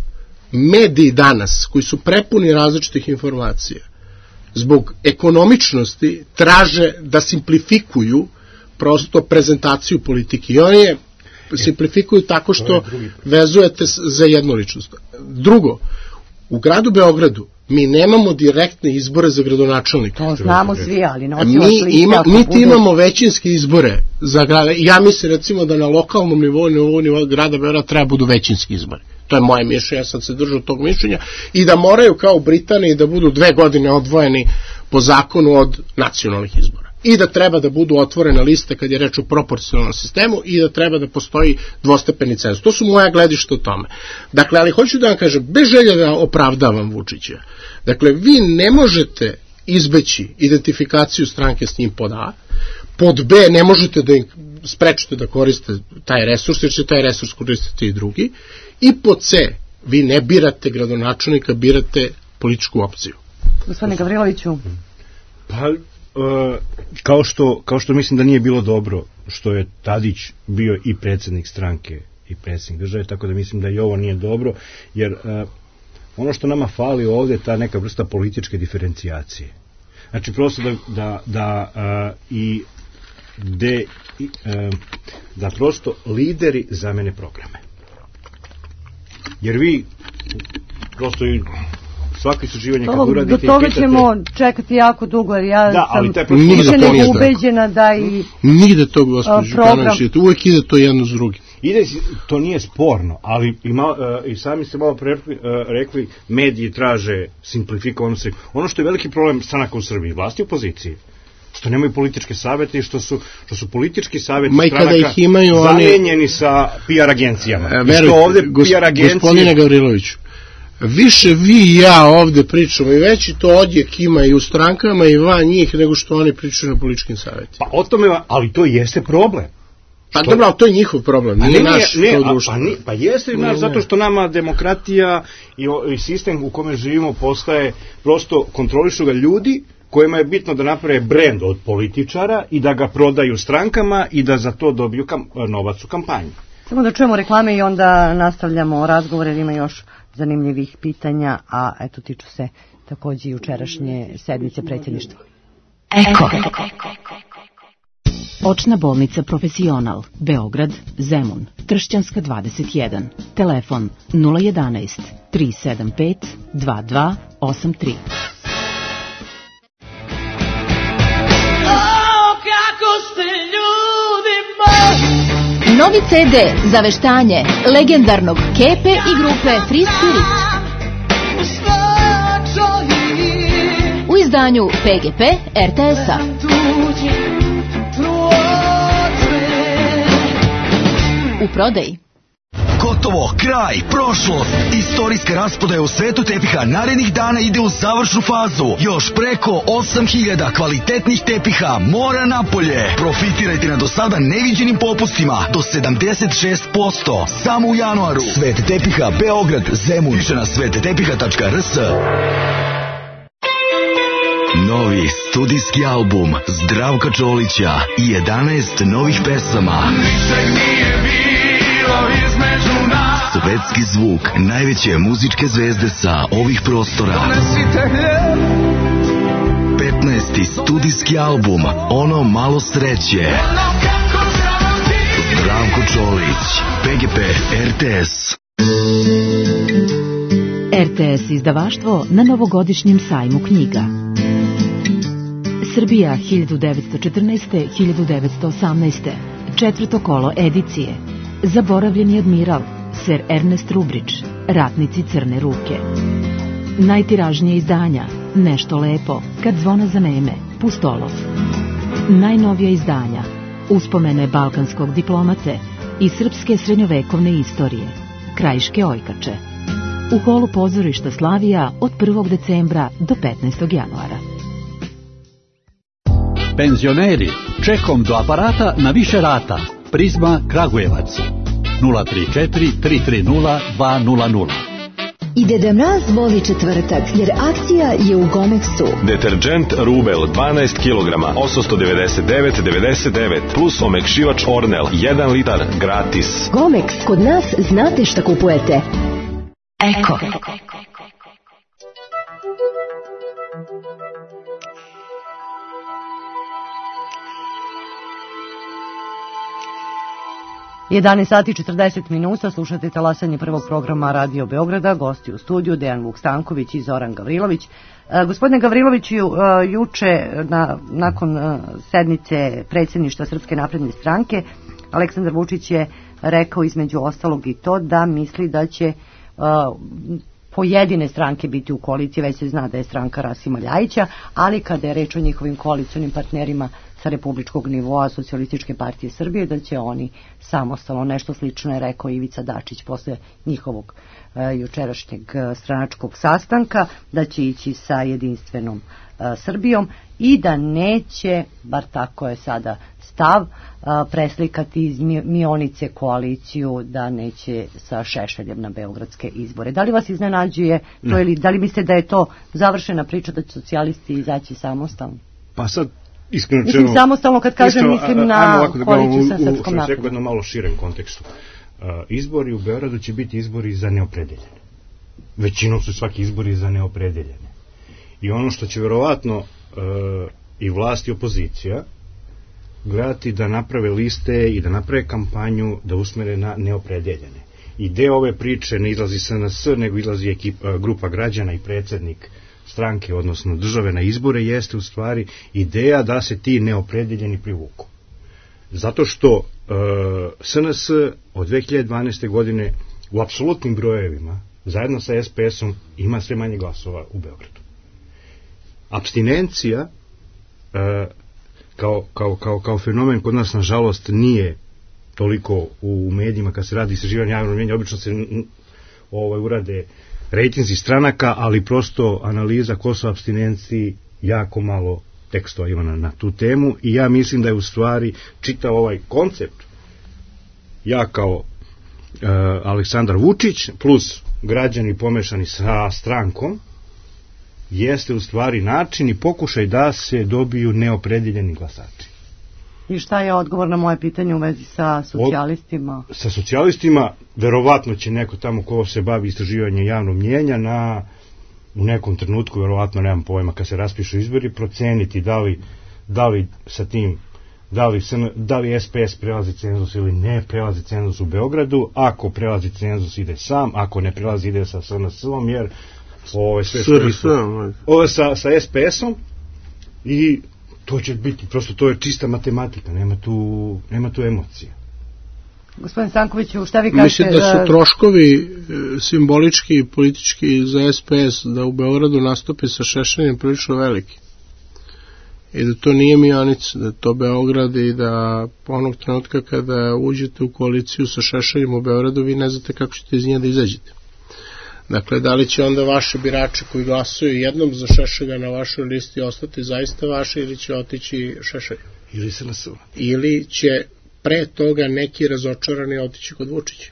Speaker 3: mediji danas, koji su prepuni različitih informacija, zbog ekonomičnosti traže da simplifikuju prosto prezentaciju politike. I oni je simplifikuju tako što vezujete za jednu ličnost. Drugo, u gradu Beogradu mi nemamo direktne izbore za gradonačelnika.
Speaker 2: To znamo svi, ali nosilac
Speaker 3: mi
Speaker 2: liste
Speaker 3: ima,
Speaker 2: ako
Speaker 3: niti
Speaker 2: bude...
Speaker 3: imamo većinske izbore za grada. Ja mislim recimo da na lokalnom nivou, nivou, nivou grada Beograda treba budu većinski izbori. To je moje mišljenje, ja sam se držao tog mišljenja, i da moraju kao u Britaniji da budu dve godine odvojeni po zakonu od nacionalnih izbora. I da treba da budu otvorene liste kad je reč o proporcionalnom sistemu i da treba da postoji dvostepeni cenzus. To su moja gledišta o tome. Dakle, ali hoću da vam kažem, bez želje da opravdavam Vučića, dakle, vi ne možete izbeći identifikaciju stranke s njim pod A, pod B ne možete da im sprečite da koriste taj resurs, jer će taj resurs koristiti i drugi, i pod C vi ne birate gradonačelnika, birate političku opciju.
Speaker 2: Gospodine Gavriloviću.
Speaker 5: Pa, Uh, kao što, kao što mislim da nije bilo dobro što je Tadić bio i predsjednik stranke i predsjednik države, tako da mislim da i ovo nije dobro, jer uh, ono što nama fali ovdje je ta neka vrsta političke diferencijacije. Znači prosto da, da, da uh, i de, i, uh, da prosto lideri zamene programe. Jer vi prosto i svako istraživanje kad uradite
Speaker 2: do toga ćemo čekati jako dugo, jer ja
Speaker 5: da,
Speaker 2: sam
Speaker 3: više
Speaker 2: nego ubeđena da i
Speaker 3: nigde to, gospođo Đukanović, uvek ide to jedno s drugim.
Speaker 5: Ide, to nije sporno, ali i, mal, uh, i sami ste malo pre, uh, rekli, mediji traže simplifikovano se. Ono što je veliki problem stranaka u Srbiji, vlasti u opoziciji, što nemaju političke savete i što su, što su politički savjeti stranaka zamenjeni oni... sa P R agencijama. E,
Speaker 3: verujte, ovde gos, P R agencije... gospodine Gavriloviću, više vi i ja ovde pričamo i veći to odjek ima i u strankama i van njih nego što oni pričaju na političkim savjetima.
Speaker 5: Pa o tome, ali to jeste problem.
Speaker 3: Pa što... dobro, ali to je njihov problem, nije ne, naš
Speaker 5: ne,
Speaker 3: to društvo.
Speaker 5: Pa, ni, pa jeste i naš, zato što nama demokratija i, i sistem u kome živimo postaje, prosto kontrolišu ga ljudi kojima je bitno da naprave brend od političara i da ga prodaju strankama i da za to dobiju kam, novac u kampanji.
Speaker 2: Samo da čujemo reklame i onda nastavljamo razgovor, jer ima još zanimljivih pitanja, a eto tiču se takođe jučerašnje sednice predsjedništva.
Speaker 6: Eko. Očna bolnica Profesional, Beograd, Zemun, Tršćanska dvadeset jedan. Telefon nula jedanaest tri sedam pet dva dva osam tri.
Speaker 7: Novi ce de za veštanje legendarnog Kepe i grupe Free Spirit. U izdanju P G P R T S-a. U prodaji.
Speaker 8: Gotovo, kraj, prošlost. Istorijska rasprodaja u svetu tepiha narednih dana ide u završnu fazu. Još preko osam hiljada kvalitetnih tepiha mora napolje. Profitirajte na do sada neviđenim popustima do sedamdeset šest posto. Samo u januaru. Svet tepiha Beograd, Zemun. Više na svet tepiha tačka r s. Novi studijski album Zdravka Čolića i jedanaest novih pesama. Ničeg nije bilo između nas. Svetski zvuk najveće muzičke zvezde sa ovih prostora. petnaesti studijski album Ono malo sreće. Zdravko Čolić, P G P R T S.
Speaker 6: R T S izdavaštvo na novogodišnjem sajmu knjiga. Srbija hiljadu devetsto četrnaeste do hiljadu devetsto osamnaeste. Četvrto kolo edicije. Zaboravljeni admiral, ser Ernest Rubrić, Ratnici crne ruke. Najtiražnije izdanja, Nešto lepo, Kad zvona zaneme, Pustolov. Najnovija izdanja, Uspomene balkanskog diplomate i srpske srednjovekovne istorije, Krajiške ojkače. U holu pozorišta Slavija od prvog decembra do petnaestog januara.
Speaker 9: Penzioneri, čekom do aparata na više rata. Prizma Kragujevac nula tri četiri tri tri nula dva nula nula.
Speaker 10: I Deda Mraz voli četvrtak, jer akcija je u Gomexu.
Speaker 11: Deterđent Rubel dvanaest kilograma, osamsto devedeset devet devedeset devet plus omekšivač Ornel jedan litar gratis.
Speaker 10: Gomex, kod nas znate šta kupujete. Eko.
Speaker 2: jedanaest sati i četrdeset minuta, slušate talasanje prvog programa Radio Beograda, gosti u studiju Dejan Vuk Stanković i Zoran Gavrilović. E, gospodine Gavriloviću, e, juče na, nakon e, sednice predsjedništva Srpske napredne stranke, Aleksandar Vučić je rekao između ostalog i to da misli da će e, pojedine stranke biti u koaliciji, već se zna da je stranka Rasima Ljajića, ali kada je reč o njihovim koalicionim partnerima sa republičkog nivoa Socijalističke partije Srbije, da će oni samostalno, nešto slično je rekao Ivica Dačić posle njihovog e, jučerašnjeg stranačkog sastanka, da će ići sa jedinstvenom e, Srbijom i da neće, bar tako je sada stav, e, preslikati iz Mionice koaliciju, da neće sa Šešeljem na beogradske izbore. Da li vas iznenađuje to ili da li mislite da je to završena priča da će socijalisti izaći samostalno?
Speaker 5: Pa sad iskreno
Speaker 2: mislim samostalno kad kažem mislim na koaliciju sa Srpskom
Speaker 5: naprednom.
Speaker 2: naprednom.
Speaker 5: U jednom malo širem kontekstu. Uh, izbori u Beogradu će biti izbori za neopredeljene. Većinom su svaki izbori za neopredeljene. I ono što će verovatno uh, i vlast i opozicija gledati da naprave liste i da naprave kampanju da usmere na neopredeljene. I deo ove priče ne izlazi S N S, nego izlazi ekipa, grupa građana i predsjednik stranke, odnosno države na izbore, jeste u stvari ideja da se ti neopredeljeni privuku. Zato što e, S N S od dve hiljade dvanaeste. godine u apsolutnim brojevima, zajedno sa S P S-om, ima sve manje glasova u Beogradu. Apstinencija e, kao, kao, kao, kao fenomen kod nas, nažalost, nije toliko u medijima kad se radi istraživanje javnog mnjenja, obično se ovaj, urade rejtinzi stranaka, ali prosto analiza ko su apstinenciji, jako malo tekstova ima na, na tu temu i ja mislim da je u stvari čitav ovaj koncept, ja kao e, Aleksandar Vučić plus građani pomešani sa strankom, jeste u stvari način i pokušaj da se dobiju neopredeljeni glasači.
Speaker 2: I šta je odgovor na moje pitanje u vezi sa socijalistima?
Speaker 5: Od, sa socijalistima verovatno će neko tamo ko se bavi istraživanjem javnog mnjenja na, u nekom trenutku, verovatno nemam pojma, kad se raspišu izbori, proceniti da li, da li sa tim, da li, da li S P S prelazi cenzus ili ne prelazi cenzus u Beogradu. Ako prelazi cenzus ide sam, ako ne prelazi ide sa S N S-om, jer ovo je sve što isto. Ovo je sa, sa S P S-om i to će biti, prosto to je čista matematika, nema tu, nema tu emocija.
Speaker 2: Gospodin Stankoviću, šta vi kažete?
Speaker 3: Mislim da su troškovi simbolički i politički za S P S da u Beogradu nastupi sa Šešeljem prilično veliki. I da to nije Mionica, da to Beograd i da onog trenutka kada uđete u koaliciju sa Šešeljem u Beogradu, vi ne znate kako ćete iz nje da izađete. Dakle, da li će onda vaše birače koji glasuju jednom za Šešelja na vašoj listi ostati zaista vaše ili će otići Šešelju?
Speaker 5: Ili se nasuva.
Speaker 3: Ili će pre toga neki razočarani otići kod Vučića.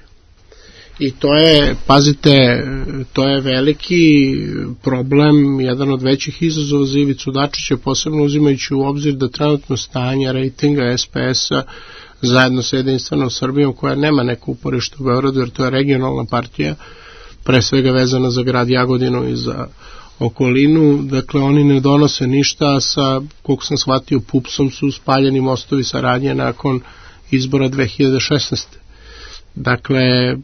Speaker 3: I to je, pazite, to je veliki problem, jedan od većih izazova za Ivicu Dačića, posebno uzimajući u obzir da trenutno stanje rejtinga S P S-a zajedno sa jedinstvenom Srbijom, koja nema neku uporište u Beogradu, jer to je regionalna partija, pre svega vezana za grad Jagodinu i za okolinu, dakle oni ne donose ništa, sa, koliko sam shvatio, pupsom su spaljeni mostovi saradnje nakon izbora dve hiljade šesnaeste. Dakle,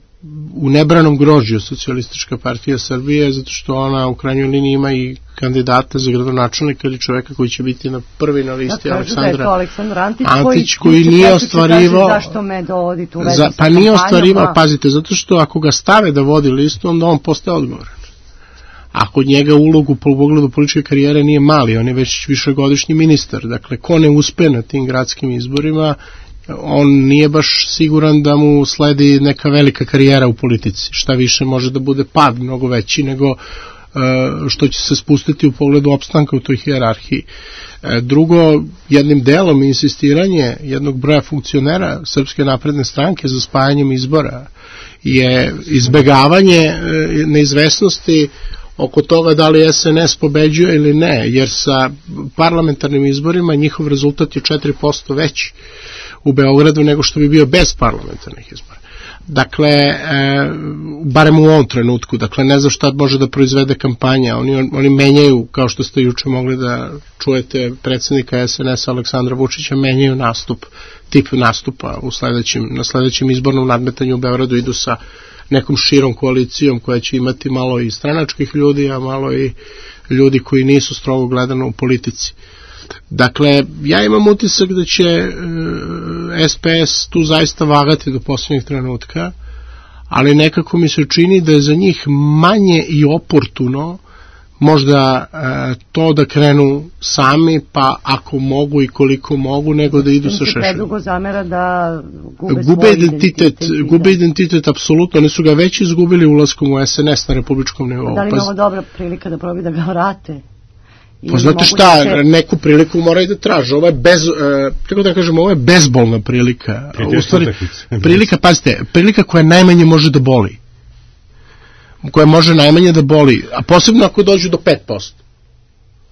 Speaker 3: u nebranom grožđu Socijalistička partija Srbije, zato što ona u krajnjoj liniji ima i kandidata za gradonačelnika ili čoveka koji će biti na prvi na listi, Aleksandra
Speaker 2: da Aleksandar Antić,
Speaker 3: Antić koji, koji nije ostvarivao
Speaker 2: zašto me dovodite u vezi
Speaker 3: za,
Speaker 2: sa
Speaker 3: pa nije ostvarivao, pazite, zato što ako ga stave da vodi listu, onda on postaje odgovoran. A kod njega ulogu po pogledu političke karijere nije mali, on je već višegodišnji ministar, dakle ko ne uspe na tim gradskim izborima, on nije baš siguran da mu sledi neka velika karijera u politici. Šta više, može da bude pad mnogo veći nego što će se spustiti u pogledu opstanka u toj hijerarhiji. Drugo, jednim delom insistiranje jednog broja funkcionera Srpske napredne stranke za spajanjem izbora je izbegavanje neizvesnosti oko toga da li S N S pobeđuje ili ne, jer sa parlamentarnim izborima njihov rezultat je četiri posto veći u Beogradu nego što bi bio bez parlamentarnih izbora. Dakle, e, barem u ovom trenutku, dakle, ne znam šta može da proizvede kampanja, oni, oni menjaju, kao što ste juče mogli da čujete predsjednika S N S Aleksandra Vučića, menjaju nastup, tip nastupa u sledećem, na sledećem izbornom nadmetanju u Beogradu, idu sa nekom širom koalicijom koja će imati malo i stranačkih ljudi, a malo i ljudi koji nisu strogo gledano u politici. Dakle, ja imam utisak da će e, S P S tu zaista vagati do posljednjeg trenutka, ali nekako mi se čini da je za njih manje i oportuno možda e, to da krenu sami, pa ako mogu i koliko mogu, nego da idu sa Šešeljom.
Speaker 2: Predugo zamera da gube,
Speaker 3: gube identitet, identitet gube identitet, apsolutno, oni su ga već izgubili ulaskom u S N S na republičkom nivou.
Speaker 2: Da li je ovo dobra prilika da probi da ga vrate?
Speaker 3: Pa znate šta, se... neku priliku mora i da traže. Ovo je bez, uh, tako da kažem, ovo je bezbolna prilika. U stvari, prilika, pazite, prilika koja najmanje može da boli. Koja može najmanje da boli, a posebno ako dođu do pet posto.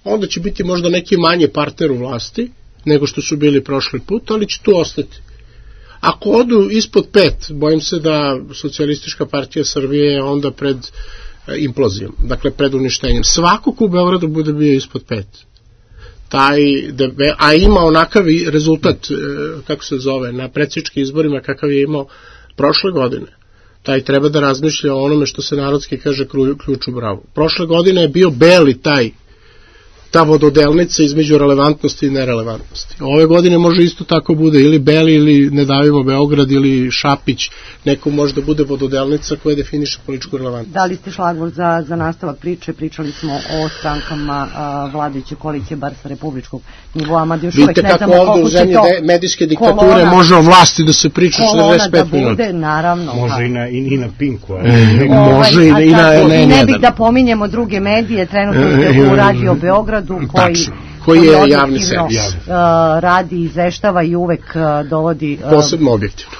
Speaker 3: Onda će biti možda neki manji partner u vlasti nego što su bili prošli put, ali će tu ostati. Ako odu ispod pet, bojim se da Socijalistička partija Srbije je onda pred implozijom, dakle pred uništenjem. Svako ko u Beogradu bude bio ispod pet, taj, a ima onakav rezultat, kako se zove, na predsjedničkim izborima kakav je imao prošle godine, taj treba da razmišlja o onome što se narodski kaže ključ u bravu. Prošle godine je bio beli taj, ta vododelnica između relevantnosti i nerelevantnosti. Ove godine može isto tako bude ili Beli ili Ne davimo Beograd ili Šapić, neko može da bude vododelnica koja definiše političku relevantnost.
Speaker 2: Da li ste šlagvor za, za nastavak priče? Pričali smo o strankama a, vladajuće koalicije, bar sa republičkog nivoa, mada još uvek ne znamo koliko će to
Speaker 3: medijske diktature kolona, može o vlasti da se priča četrdeset pet minuta.
Speaker 2: Bude, naravno.
Speaker 5: Može i na, i, i na Pinku.
Speaker 3: Ali e, može i, i na...
Speaker 2: Ne, ne bih da pominjemo druge medije, trenutno ste u Radio Beograd, koji,
Speaker 3: koji je javni servis.
Speaker 2: Uh, radi, izveštava i uvek uh, dovodi... Uh,
Speaker 3: posebno objektivno.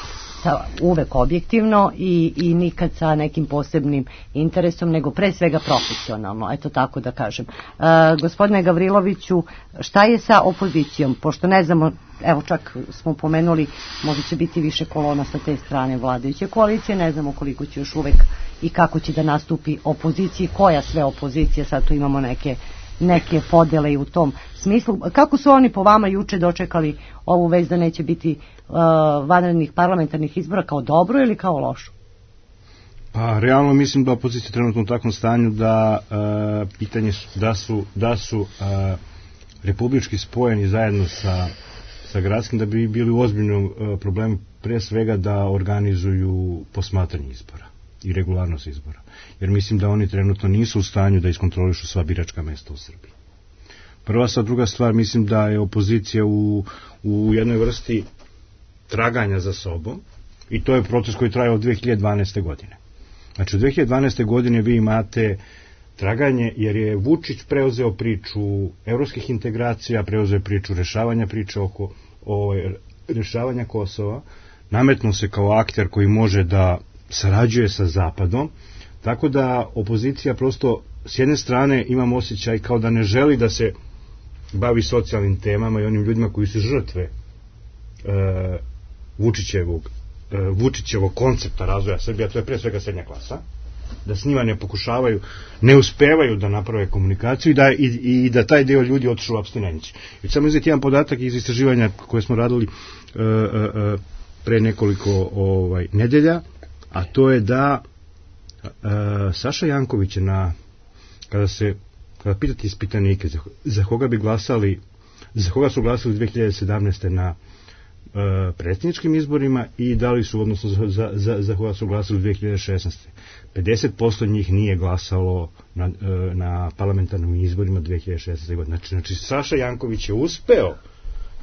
Speaker 2: Ta, uvek objektivno i, i nikad sa nekim posebnim interesom, nego pre svega profesionalno, eto tako da kažem. Uh, gospodine Gavriloviću, šta je sa opozicijom? Pošto ne znamo, evo čak smo pomenuli, možda će biti više kolona sa te strane vladajuće koalicije, ne znamo koliko će još uvek i kako će da nastupi opoziciji, koja sve opozicija, sad tu imamo neke neke podele i u tom smislu. Kako su oni po vama juče dočekali ovu vest da neće biti uh, vanrednih parlamentarnih izbora, kao dobro ili kao lošu?
Speaker 5: Pa realno mislim da opozicija trenutno u takvom stanju da uh, pitanje su, da su, da su uh, republički spojeni zajedno sa, sa gradskim, da bi bili u ozbiljnom uh, problemu, pre svega da organizuju posmatranje izbora i regularnost izbora. Jer mislim da oni trenutno nisu u stanju da iskontrolišu sva biračka mesta u Srbiji. Prva stvar, druga stvar, mislim da je opozicija u, u jednoj vrsti traganja za sobom i to je proces koji traje od dve hiljade dvanaeste. godine. Znači, od dve hiljade dvanaeste. godine vi imate traganje jer je Vučić preuzeo priču evropskih integracija, preuzeo priču rešavanja priče oko o, rešavanja Kosova, nametnuo se kao akter koji može da sarađuje sa Zapadom, tako da opozicija prosto s jedne strane imam osjećaj kao da ne želi da se bavi socijalnim temama i onim ljudima koji su žrtve e, Vučićevog, e, Vučićevog koncepta razvoja Srbije, to je pre svega srednja klasa, da s njima ne pokušavaju, ne uspevaju da naprave komunikaciju i da, i, i da taj deo ljudi otišu u apstinenciju. I samo izvijeti jedan podatak iz istraživanja koje smo radili e, e, pre nekoliko ovaj, nedelja, a to je da e, Saša Janković je na, kada se kada pitate ispitanike za, za koga bi glasali, za koga su glasali dve hiljade sedamnaeste. na e, predsjedničkim izborima i da li su, odnosno za, za, za koga su glasali u dve hiljade šesnaeste. pedeset posto njih nije glasalo na, e, na parlamentarnim izborima dve hiljade šesnaeste. godine. Znači, znači Saša Janković je uspeo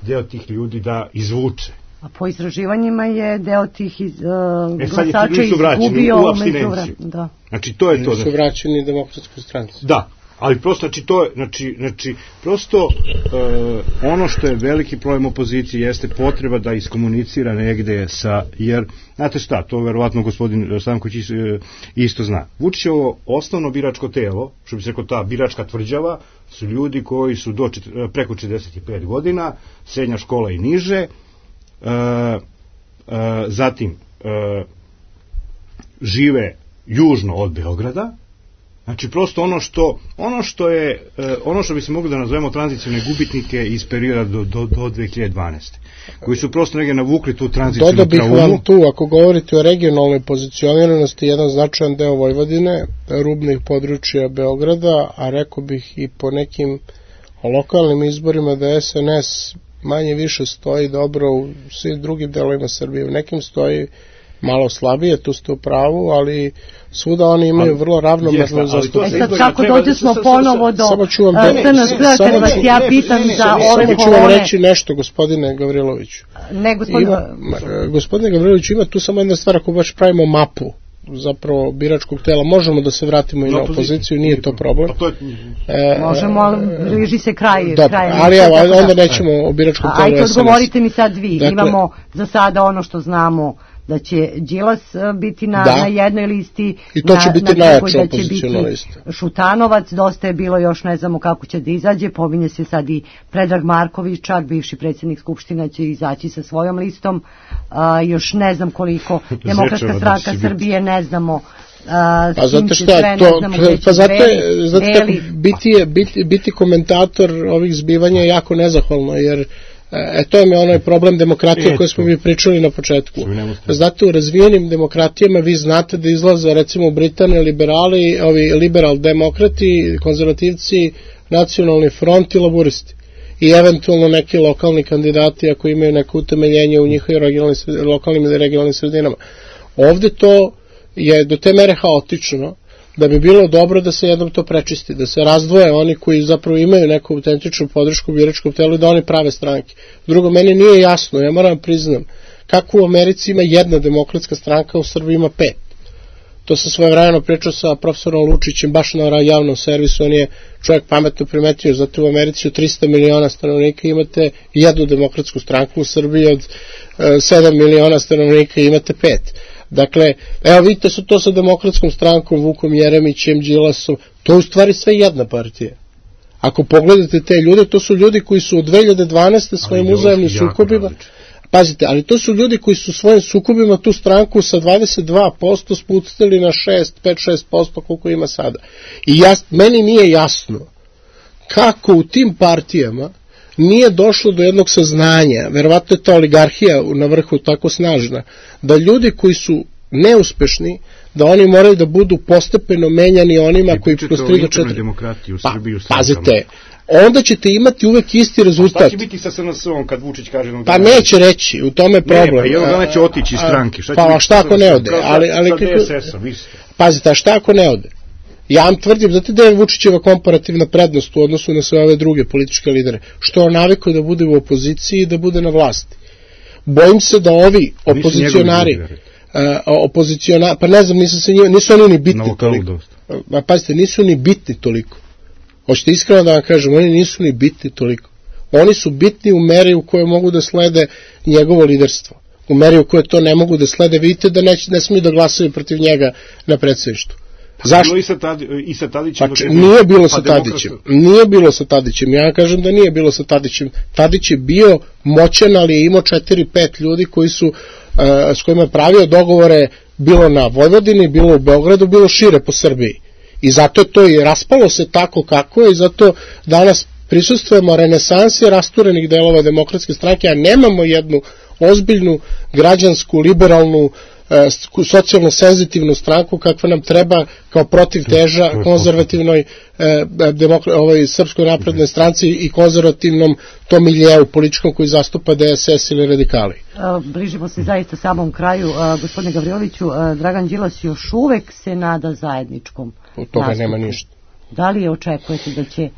Speaker 5: deo tih ljudi da izvuče.
Speaker 2: A po istraživanjima je deo tih iz, uh,
Speaker 5: e, sad
Speaker 2: glasača
Speaker 5: nisu vraćeni
Speaker 2: izgubio
Speaker 5: u apstinenciju.
Speaker 2: Da.
Speaker 5: Znači, to je to.
Speaker 3: Nisu vraćeni Demokratskoj stranci.
Speaker 5: Da, ali prosto, znači, to je, znači, znači prosto, uh, ono što je veliki problem opozicije jeste potreba da iskomunicira negde sa, jer, znate šta, to verovatno gospodin Stanković isto zna. Vučićevo osnovno biračko telo, što bi se rekao ta biračka tvrđava, su ljudi koji su do, preko četrdeset pet godina, srednja škola i niže, uh, uh, zatim uh, žive južno od Beograda. Znači prosto ono što ono što je ono što bi se mogli da nazovemo tranzicione gubitnike iz perioda do, do, do dve hiljade dvanaeste koji su prosto negdje navukli tu tranziciju.
Speaker 3: Dodao bih vam tu, ako govorite o regionalnoj pozicioniranosti, jedan značajan deo Vojvodine, rubnih područja Beograda, a rekao bih i po nekim lokalnim izborima da S N S manje više stoji dobro u svim drugim delovima Srbije. U nekim stoji malo slabije, tu ste u pravu, ali svuda oni imaju ali, vrlo ravnomernu zastupljenost.
Speaker 2: E sad kako dođe smo ponovo do S N S, kad vas ja pitam za ove kolone.
Speaker 3: Samo ću vam reći nešto, gospodine Gavriloviću.
Speaker 2: Ne, gospodine.
Speaker 3: Gospodine Gavriloviću, ima tu samo jedna stvar, ako baš pravimo mapu zapravo biračkog tela, možemo da se vratimo i na opoziciju, nije to problem.
Speaker 2: E, možemo, ali bliži se kraj.
Speaker 3: Dobro,
Speaker 2: kraj
Speaker 3: ali evo, onda nećemo o biračkom telu.
Speaker 2: Ajde, odgovorite mi sad vi. Dakle, imamo za sada ono što znamo, da će Đilas biti na,
Speaker 3: da.
Speaker 2: na jednoj listi,
Speaker 3: i to će
Speaker 2: na,
Speaker 3: biti
Speaker 2: na
Speaker 3: najjača
Speaker 2: da će biti
Speaker 3: lista.
Speaker 2: Šutanovac, dosta je bilo, još ne znamo kako će da izađe, pominje se sad i Predrag Marković, čak bivši predsjednik Skupština će izaći sa svojom listom, a, još ne znam koliko Demokratska stranka Srbije, ne znamo. A,
Speaker 3: pa zato šta, sve, to, pa zato je, zato je biti, je, biti, biti komentator ovih zbivanja je jako nezahvalno, jer E, to je onaj problem demokratije koje smo mi pričali na početku. Zato u razvijenim demokratijama vi znate da izlaze recimo u Britaniji liberali, ovi liberal demokrati, konzervativci, nacionalni front i laburisti. I eventualno neki lokalni kandidati ako imaju neko utemeljenje u njihovim lokalnim ili regionalnim sredinama. Ovde to je do te mere haotično da bi bilo dobro da se jednom to prečisti, da se razdvoje oni koji zapravo imaju neku autentičnu podršku biračkom telu i da oni prave stranke. Drugo, meni nije jasno, ja moram priznam, kako u Americi ima jedna demokratska stranka, u Srbiji ima pet. To sam svojevremeno pričao sa profesorom Lučićem, baš na javnom servisu, on je čovjek pametno primetio, zato u Americi od trista miliona stanovnika imate jednu demokratsku stranku, u Srbiji od sedam miliona stanovnika imate pet. Dakle, evo vidite su to sa demokratskom strankom, Vukom Jeremićem, Đilasom, to je u stvari sve jedna partija. Ako pogledate te ljude, to su ljudi koji su od dve hiljade dvanaeste svojim uzajemnim sukobima, pazite, ali to su ljudi koji su svojim sukobima tu stranku sa dvadeset dva posto spustili na šest, pet šest posto koliko ima sada. I ja, meni nije jasno kako u tim partijama nije došlo do jednog saznanja, verovatno je ta oligarhija na vrhu tako snažna, da ljudi koji su neuspešni, da oni moraju da budu postepeno menjani onima koji postižu četiri.
Speaker 5: Pa,
Speaker 3: pazite, onda ćete imati uvek isti rezultat.
Speaker 5: A šta će biti sa S N S-om kad Vučić kaže...
Speaker 3: Pa neće reći, u tome je problem.
Speaker 5: Ne, pa jednog dana će otići iz stranke.
Speaker 3: Pa šta ako ne ode? Pazite, a šta ako ne ode? Ja vam tvrdim, znate da je Vučićeva komparativna prednost u odnosu na sve ove druge političke lidere, što on navikao da bude u opoziciji i da bude na vlasti. Bojim se da ovi opozicionari, uh, opozicionari, pa ne znam, nisu, se njima, nisu oni ni bitni toliko. Pa pazite, nisu ni bitni toliko. Hoćete iskreno da vam kažem, oni nisu ni bitni toliko. Oni su bitni u meri u kojoj mogu da slede njegovo liderstvo. U meri u kojoj to ne mogu da slede, vidite da ne, ne smiju da glasaju protiv njega na predsjedništvu.
Speaker 5: Zašto? I sa, Tadi, i sa Tadićem.
Speaker 3: Pa, nije bilo sa Tadićem. Nije bilo sa Tadićem. Ja kažem da nije bilo sa Tadićem. Tadić je bio moćan, ali je imao četiri pet ljudi koji su, uh, s kojima je pravio dogovore bilo na Vojvodini, bilo u Beogradu, bilo šire po Srbiji. I zato je to i raspalo se tako kako je i zato danas prisustvujemo renesansi rasturenih delova demokratske stranke, a nemamo jednu ozbiljnu, građansku, liberalnu, socijalno senzitivnu stranku kakva nam treba kao protivteža konzervativnoj eh, demokra, ovaj, Srpskoj naprednoj stranci i konzervativnom tom miljeu političkom koji zastupa D S S ili radikali.
Speaker 2: Bližimo se zaista samom kraju. Gospodine Gavriloviću, Dragan Đilas još uvek se nada zajedničkom
Speaker 3: od toga nastupu. Nema ništa.
Speaker 2: Da li je očekujete da će,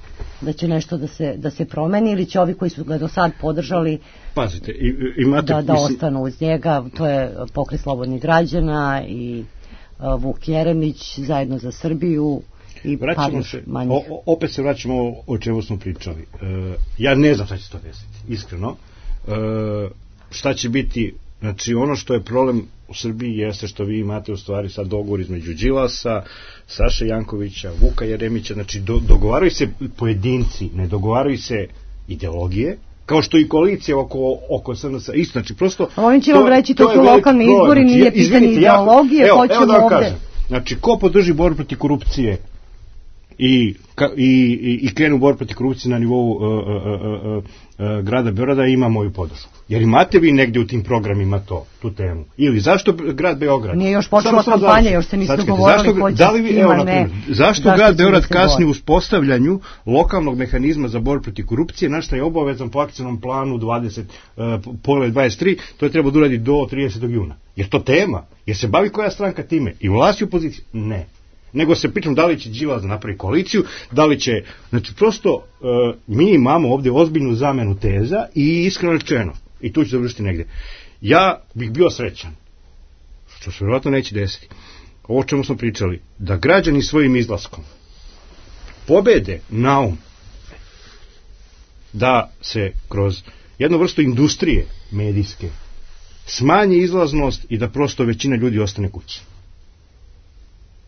Speaker 2: da će nešto da se, da se promeni ili će ovi koji su ga do sad podržali
Speaker 5: Pazite, imate,
Speaker 2: da, da
Speaker 5: mislim...
Speaker 2: ostanu uz njega? To je Pokret slobodnih građana i uh, Vuk Jeremić zajedno za Srbiju i
Speaker 5: vraćamo se, o, opet se vraćamo o, o čemu smo pričali. E, ja ne znam šta će to desiti, iskreno. E, šta će biti, znači ono što je problem u Srbiji jeste što vi imate u stvari sad dogovor između Đilasa, Saše Jankovića, Vuka Jeremića, znači do, dogovaraju se pojedinci, ne dogovaraju se ideologije, kao što i koalicija oko, oko S N S, isto, znači prosto...
Speaker 2: Ovim ćemo to, reći, to, to su lokalni izbori, znači, nije pitanje ideologije,
Speaker 5: evo,
Speaker 2: hoćemo
Speaker 5: evo da vam
Speaker 2: ovde...
Speaker 5: Kažem, znači, ko podrži borbu protiv korupcije i, ka, i, i, i krenu borbu protiv korupcije na nivou uh, uh, uh, uh, grada Beograda ima moju podršku. Jer imate vi negdje u tim programima to, tu temu? Ili zašto grad Beograd?
Speaker 2: Nije još počela kampanja, još se nisu dogovorili ko će
Speaker 5: da li vi, evo,
Speaker 2: ne.
Speaker 5: Zašto, zašto grad Beograd kasni u uspostavljanju lokalnog mehanizma za borbu protiv korupcije, na što je obavezan po akcijnom planu dvadeset, uh, pogled dvadeset tri, to je treba da uradi do tridesetog juna. Jer to tema? Jer se bavi koja stranka time? I vlast i opozicija? Ne. Nego se pričam da li će Đilas da napravi koaliciju, da li će, znači prosto uh, mi imamo ovdje ozbiljnu zamenu teza i iskreno rečeno, i tu ću završiti negdje, ja bih bio srećan, što se vjerojatno neće desiti, ovo čemu smo pričali, da građani svojim izlaskom pobede naum da se kroz jednu vrstu industrije medijske smanji izlaznost i da prosto većina ljudi ostane kući.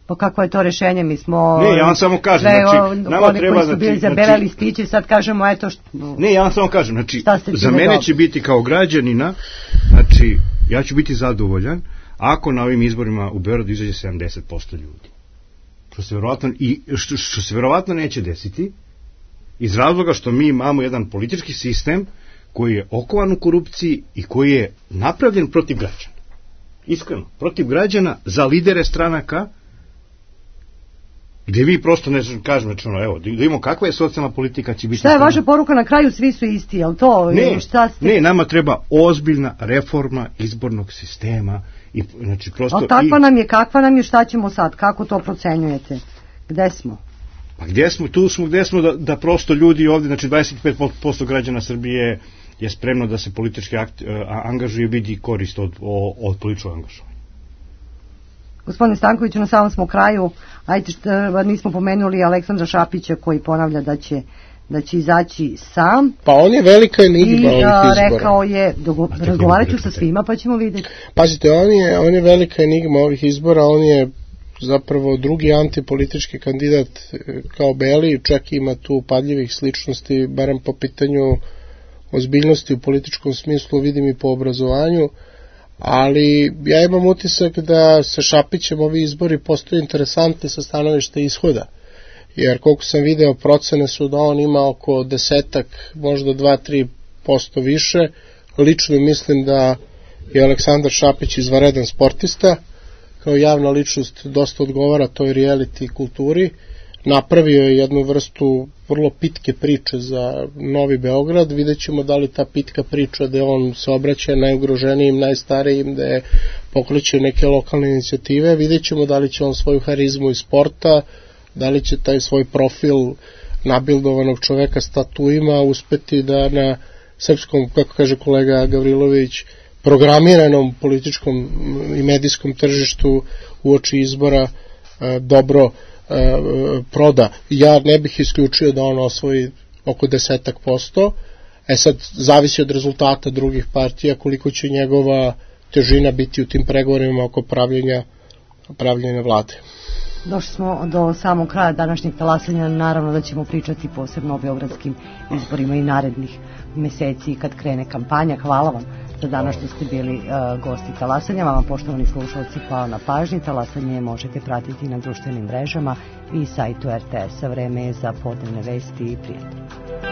Speaker 2: Pa kako je to rešenje? Mi smo...
Speaker 5: Ne, ja vam samo kažem,
Speaker 2: sve,
Speaker 5: znači, nama
Speaker 2: oni
Speaker 5: treba...
Speaker 2: koji su bili
Speaker 5: znači,
Speaker 2: zabeleli spići, sad kažemo, eto... Što,
Speaker 5: ne, ja vam samo kažem, znači, za mene dobro. Će biti kao građanina, znači, ja ću biti zadovoljan ako na ovim izborima u Beogradu izađe sedamdeset posto ljudi. Što se verovatno, i, što, što se verovatno neće desiti, iz razloga što mi imamo jedan politički sistem koji je okovan u korupciji i koji je napravljen protiv građana. Iskreno, protiv građana za lidere stranaka, gdje vi prosto ne kažem, znači ono, evo, da vidimo kakva je socijalna politika će biti...
Speaker 2: Šta je vaša poruka na kraju, svi su isti, jel to?
Speaker 5: Ne,
Speaker 2: šta ste...
Speaker 5: ne, nama treba ozbiljna reforma izbornog sistema i, znači, prosto...
Speaker 2: Ali takva
Speaker 5: i...
Speaker 2: nam je, kakva nam je, šta ćemo sad, kako to procenjujete? Gde smo?
Speaker 5: Pa gdje smo, tu smo, gdje smo da, da prosto ljudi ovdje, znači dvadeset pet posto građana Srbije je spremno da se politički akt, a, angažuje, vidi korist od, od političkog angažovanja.
Speaker 2: Gospodine Stankoviću, na samom smo kraju, ajte što nismo pomenuli Aleksandra Šapića koji ponavlja da će, da će izaći sam.
Speaker 3: Pa on je velika enigma ovih izbora.
Speaker 2: I rekao je, razgovarat ću sa svima pa ćemo vidjeti.
Speaker 3: Pazite, on je, on je velika enigma ovih izbora, on je zapravo drugi antipolitički kandidat kao Beli, čak ima tu upadljivih sličnosti, barem po pitanju ozbiljnosti u političkom smislu, vidim i po obrazovanju, ali ja imam utisak da sa Šapićem ovi izbori postaju interesantni sa stanovišta ishoda, jer koliko sam video procene su da on ima oko desetak, možda dva do tri posto više. Lično mislim da je Aleksandar Šapić izvanredan sportista, kao javna ličnost dosta odgovara toj reality kulturi, napravio je jednu vrstu vrlo pitke priče za Novi Beograd, vidjet ćemo da li ta pitka priča da on se obraća najugroženijim, najstarijim, da je pokreće neke lokalne inicijative, vidjet ćemo da li će on svoju harizmu iz sporta, da li će taj svoj profil nabildovanog čoveka s tatuima uspeti da na srpskom, kako kaže kolega Gavrilović, programiranom političkom i medijskom tržištu uoči izbora e, dobro e, proda. Ja ne bih isključio da on osvoji oko desetak posto, e sad zavisi od rezultata drugih partija koliko će njegova težina biti u tim pregovorima oko pravljenja, pravljenja vlade.
Speaker 2: Došli smo do samog kraja današnjeg talasanja, naravno da ćemo pričati posebno o beogradskim izborima i narednih meseci kad krene kampanja. Hvala vam za danas što ste bili uh, gosti talasanja. Vama, poštovani slušalci, hvala na pažnji. Talasanje možete pratiti na društvenim mrežama i sajtu er te es-a. Vreme je za podnevne vesti i prijatelje.